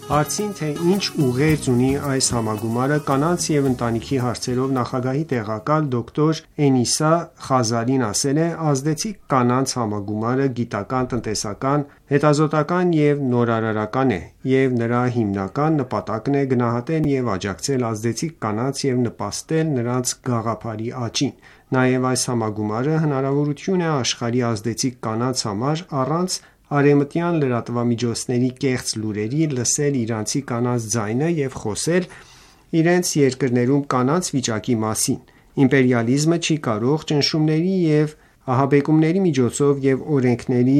S7: Հարցին, թե ինչ ուղերձ ունի այս համագումարը կանանց և ընտանիքի հարցերով նախագահի տեղակալ դոկտոր Էնիսա Խազալին ասել է. «Ազդեցիկ կանանց համագումարը գիտական, տնտեսական, հետազոտական և նորարարական է, և նրա հիմնական նպատակն է գնահատել և աջակցել ազդեցիկ կանանց և նպաստել նրանց գաղափարի աճին: Նաև այս համագումարը հնարավորություն է աշխարհի ազդեցիկ կանանց համար առանց արևմտյան լրատվամիջոցների կեղծ լուրերի լսել իրանցի կանանց ձայնը և խոսել իրենց երկրներում կանանց վիճակի մասին: Իմպերիալիզմը չի կարող ճնշումների և ահաբեկումների միջոցով և օրենքների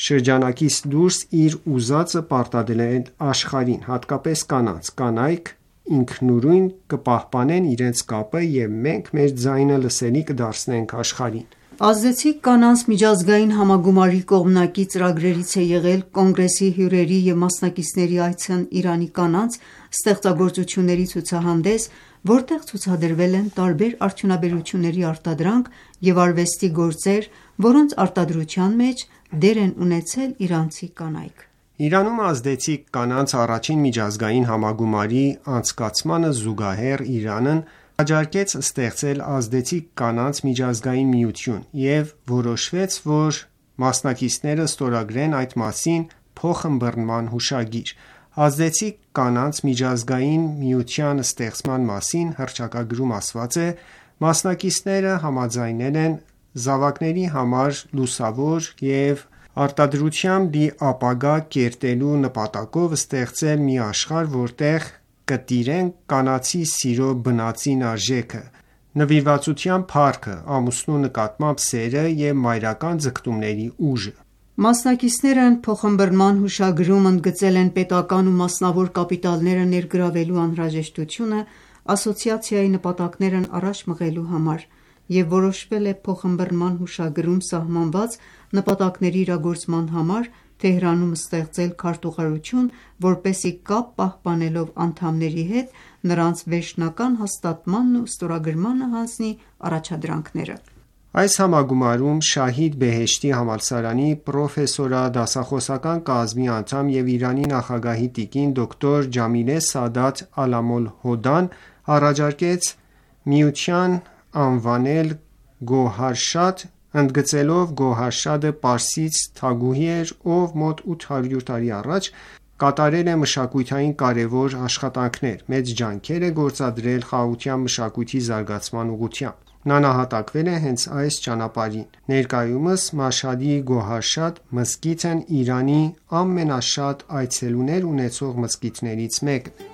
S7: շրջանակից դուրս իր ուզածը պարտադրել աշխարհին, հատկապես կանանց: Կանայք ինքնուրույն կպահպանեն իրենց կապը և մենք մեր ձայնը լսելի կդարձնենք աշխարհին»:
S2: Ազդեցիկ կանանց միջազգային համագումարի կողմնակի ծրագրերից է եղել Կոնգրեսի հյուրերի և մասնակիցների այցն Իրանի կանանց ստեղծագործությունների ցուցահանդես, որտեղ ցուցադրվել են տարբեր արդյունաբերությունների արտադրանք և արվեստի գործեր, որոնց արտադրության մեջ դեր են ունեցել իրանցի կանայք:
S7: Իրանում ազդեցիկ կանանց առաջին միջազգային համագումարի անցկացմանը զուգահեռ Իրանն առաջարկեց ստեղծել ազդեցիկ կանանց միջազգային միություն և որոշվեց, որ մասնակիցները ստորագրեն այդ մասին փոխըմբռնման հուշագիր: Ազդեցիկ կանանց միջազգային միության ստեղծման մասին հռչակագրում ասված է. «Մասնակիցները համաձայնել են զավակների համար լուսավոր և արտադրությամբ լի ապագա կերտելու նպատակով ստեղծել մի աշխարհ, որտեղ կտիրեն կանացի սիրո բնածին արժեքը, նվիրվածության փառքը, ամուսնու նկատմամբ սերը և մայրական ձգտումների ուժը»:
S2: Մասնակիցներն փոխըմբռնման հուշագրում ընդգծել են պետական ու մասնավոր կապիտալները ներգրավելու անհրաժեշտությունը ասոցիացիայի նպատակներն առաջ մղելու համար և որոշվել է փոխըմբռնման հուշագրում սահմանված նպատակների իրագործման համար Թեհրանում ստեղծել քարտուղարություն, որպեսզի կապ պահպանելով անդամների հետ նրանց վերջնական հաստատմանն ու ստորագրմանը հանձնի առաջադրանքները:
S7: Այս համագումարում Շահիդ Բեհեշթի համալսարանի պրոֆեսորադասախոսական կազմի անդամ և Իրանի նախագահի տիկին դոկտոր Ջամիլե Սադաթ Ալամոլհոդան առաջարկեց միության անվանել Գոհարշադ, ընդգծելով Գոհարշադը պարսից թագուհի էր, ով մոտ ութ հարյուր տարի առաջ կատարել է մշակութային կարևոր աշխատանքներ, մեծ ջանքեր է գործադրել խաղաղության մշակույթի զարգացման ուղղությամբ: Նա նահատակվել է հենց այս ճանապարհին: Ներկայումս Մաշհադի Գոհարշադ մզկիթն Իրանի ամենաշատ այցելուներ ունեցող մզկիթներից մեկն է: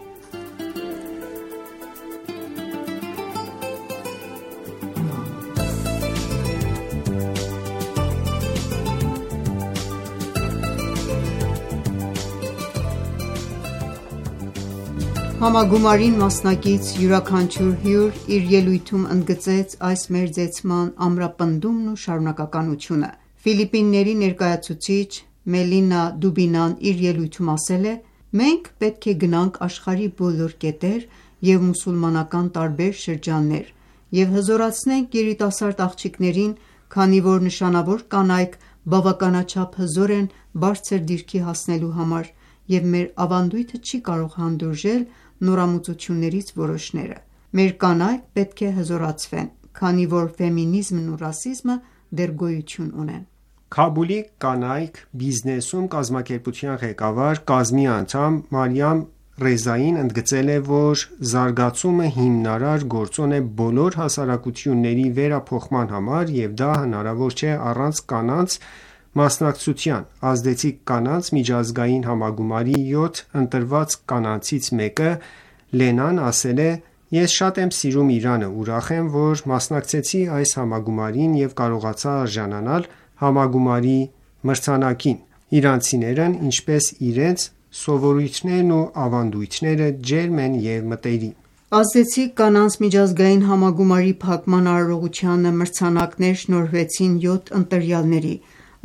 S2: Համագումարին մասնակից յուրաքանչյուր հյուր իր ելույթում ընդգծեց այս մերձեցման ամրապնդումն ու շարունակականությունը: Ֆիլիպինների ներկայացուցիչ Մելինա Դուբինան իր ելույթում ասել է. «Մենք պետք է գնանք աշխարհի բոլոր կետեր և մուսուլմանական տարբեր շրջաններ և հզորացնենք երիտասարդ աղջիկներին, քանի որ նշանավոր կանայք բավականաչափ հզոր են բարձր դիրքի հասնելու համար և մեր ավանդույթը չի կարող հանդուրժել նորամուծություններից որոշները: Մեր կանայք պետք է հզորացվեն, քանի որ ֆեմինիզմն ու ռասիզմը դեռ գոյություն ունեն»:
S7: Քաբուլի «Կանայք բիզնեսում» կազմակերպության ղեկավար, կազմի անդամ Մարիամ Ռեզային ընդգծել է, որ զարգացումը հիմնարար գործոն է բոլոր հասարակությունների վերափոխման համար և դա հնարավոր չէ առանց կանանց մասնակցության: Ազդեցիկ կանանց միջազգային համագումարի յոթ ընտրված կանանցից մեկը Լենան ասել է. «Ես շատ եմ սիրում Իրանը, ուրախ եմ, որ մասնակցեցի այս համագումարին և կարողացա արժանանալ համագումարի մրցանակին: Իրանցիներն ինչպես իրենց սովորույթներն ու ավանդույթները ջերմ են և մտերիմ»:
S2: Ազդեցիկ կանանց միջազգային համագումարի փակման արարողությանը մրցանակներ շնորհվեցին յոթ ընտրյալների: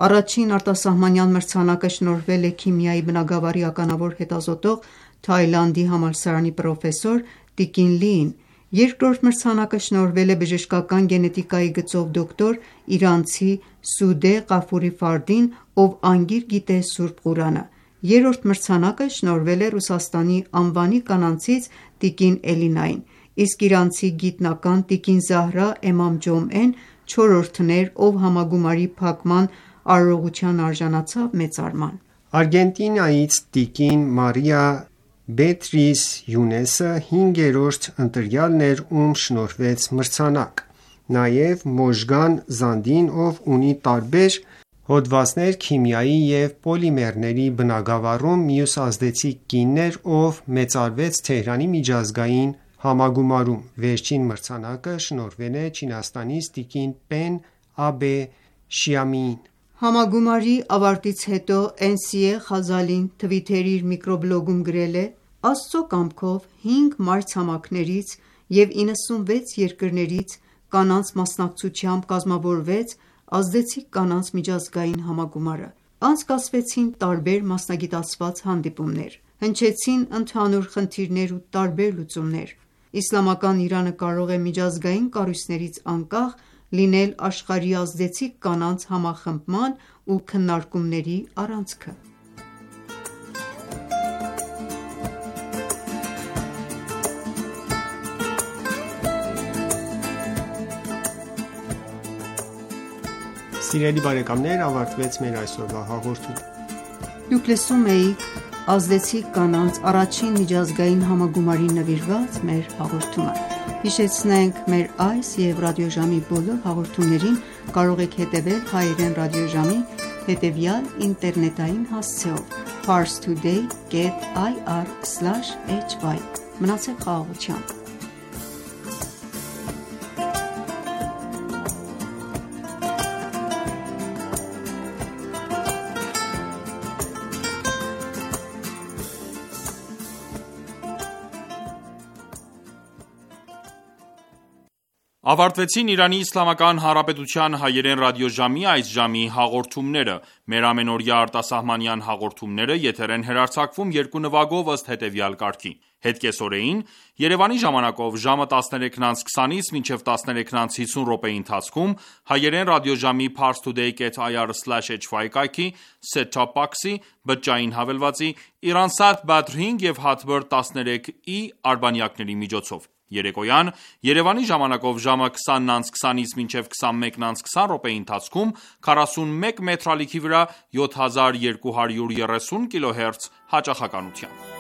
S2: Առաջին արտասահմանյան մրցանակը շնորհվել է քիմիայի բնագավառի ականավոր հետազոտող Թայլանդի համալսարանի պրոֆեսոր տիկին Լիին: Երկրորդ մրցանակը շնորհվել է բժշկական գենետիկայի գծով դոկտոր իրանցի Սուդե Ղաֆուրի Ֆարդին, ով անգիր գիտե Սուրբ Ղուրանը: Երրորդ մրցանակը շնորհվել է Ռուսաստանի անվանի կանանցից տիկին Էլինային, իսկ իրանցի գիտնական տիկին Զահրա Էմամջոմեն չորրորդն էր, ով համագումարի փակման արարողության արժանացավ մեծարման։
S7: Արգենտինայից տիկին Մարիա Բետրիս Յունեսը հինգերորդ ընտրյալն էր, ում շնորհվեց մրցանակ։ Նաև Մոժգան Զանդին, ով ունի տարբեր հոդվածներ քիմիայի և պոլիմերների բնագավառում, մյուս ազդեցիկ կինն էր, ով մեծարվեց Թեհրանի միջազգային համագումարում։ Վերջին մրցանակը շնորհվել է Չինաստանից տիկին Պեն Աբեշյամիին։
S2: Համագումարի ավարտից հետո Էնսիե Խազալին Թվիթերի իր միկրոբլոգում գրել է. «Աստծո կամքով հինգ մայրցամաքներից և իննսունվեց երկրներից կանանց մասնակցությամբ կազմավորվեց ազդեցիկ կանանց միջազգային համագումարը։ Անցկացվեցին տարբեր մասնագիտացված հանդիպումներ, հնչեցին ընդհանուր խնդիրներ ու տարբեր լուծումներ։ Իսլամական Իրանը կարող է միջազգային կառույցներից անկախ լինել աշխարհի ազդեցիկ կանանց համախմբման ու քննարկումների առանցքը»։
S7: Սիրելի բարեկամներ, ավարտվեց մեր այսօրվա հաղորդումը։
S2: Դուք լսում էիք ազդեցիկ կանանց առաջին միջազգային համագումարին նվիրված մեր հաղորդումը։ Հիշեցնենք մեր այս և ռադիոժամի բոլոր հաղորդումներին կարող եք հետևել հայերեն ռադիոժամի հետևյալ ինտերնետային հասցեով՝ parstoday dot ir slash hy։ Մնացեք խաղաղությամբ։
S1: Ավարտվեցին Իրանի Իսլամական Հանրապետության հայերեն ռադիոժամի այս ժամի հաղորդումները։ Մեր ամենօրյա արտասահմանյան հաղորդումները եթեր են հեռարձակվում երկու նվագով ըստ հետևյալ կարգի. Հետ կեսօրեին Երևանի ժամանակով ժամը տասներեքն անց քսանից մինչև տասներեքն անց հիսուն րոպեի ընթացքում հայերեն ռադիոժամի parstoday dot ir slash hy կայքի set-top box-ի բջջային հավելվածի Iransat Badr հինգ և Hotbird տասներեք i արբանյակների միջոցով։ Երեկոյան Երևանի ժամանակով ժամը քսանն անց քսանից մինչև քսանմեկն անց քսան րոպեի ընթացքում քառասունմեկ մետրալիքի վրա յոթ հազար երկու հարյուր երեսուն կիլոհերց հաճախականությամբ։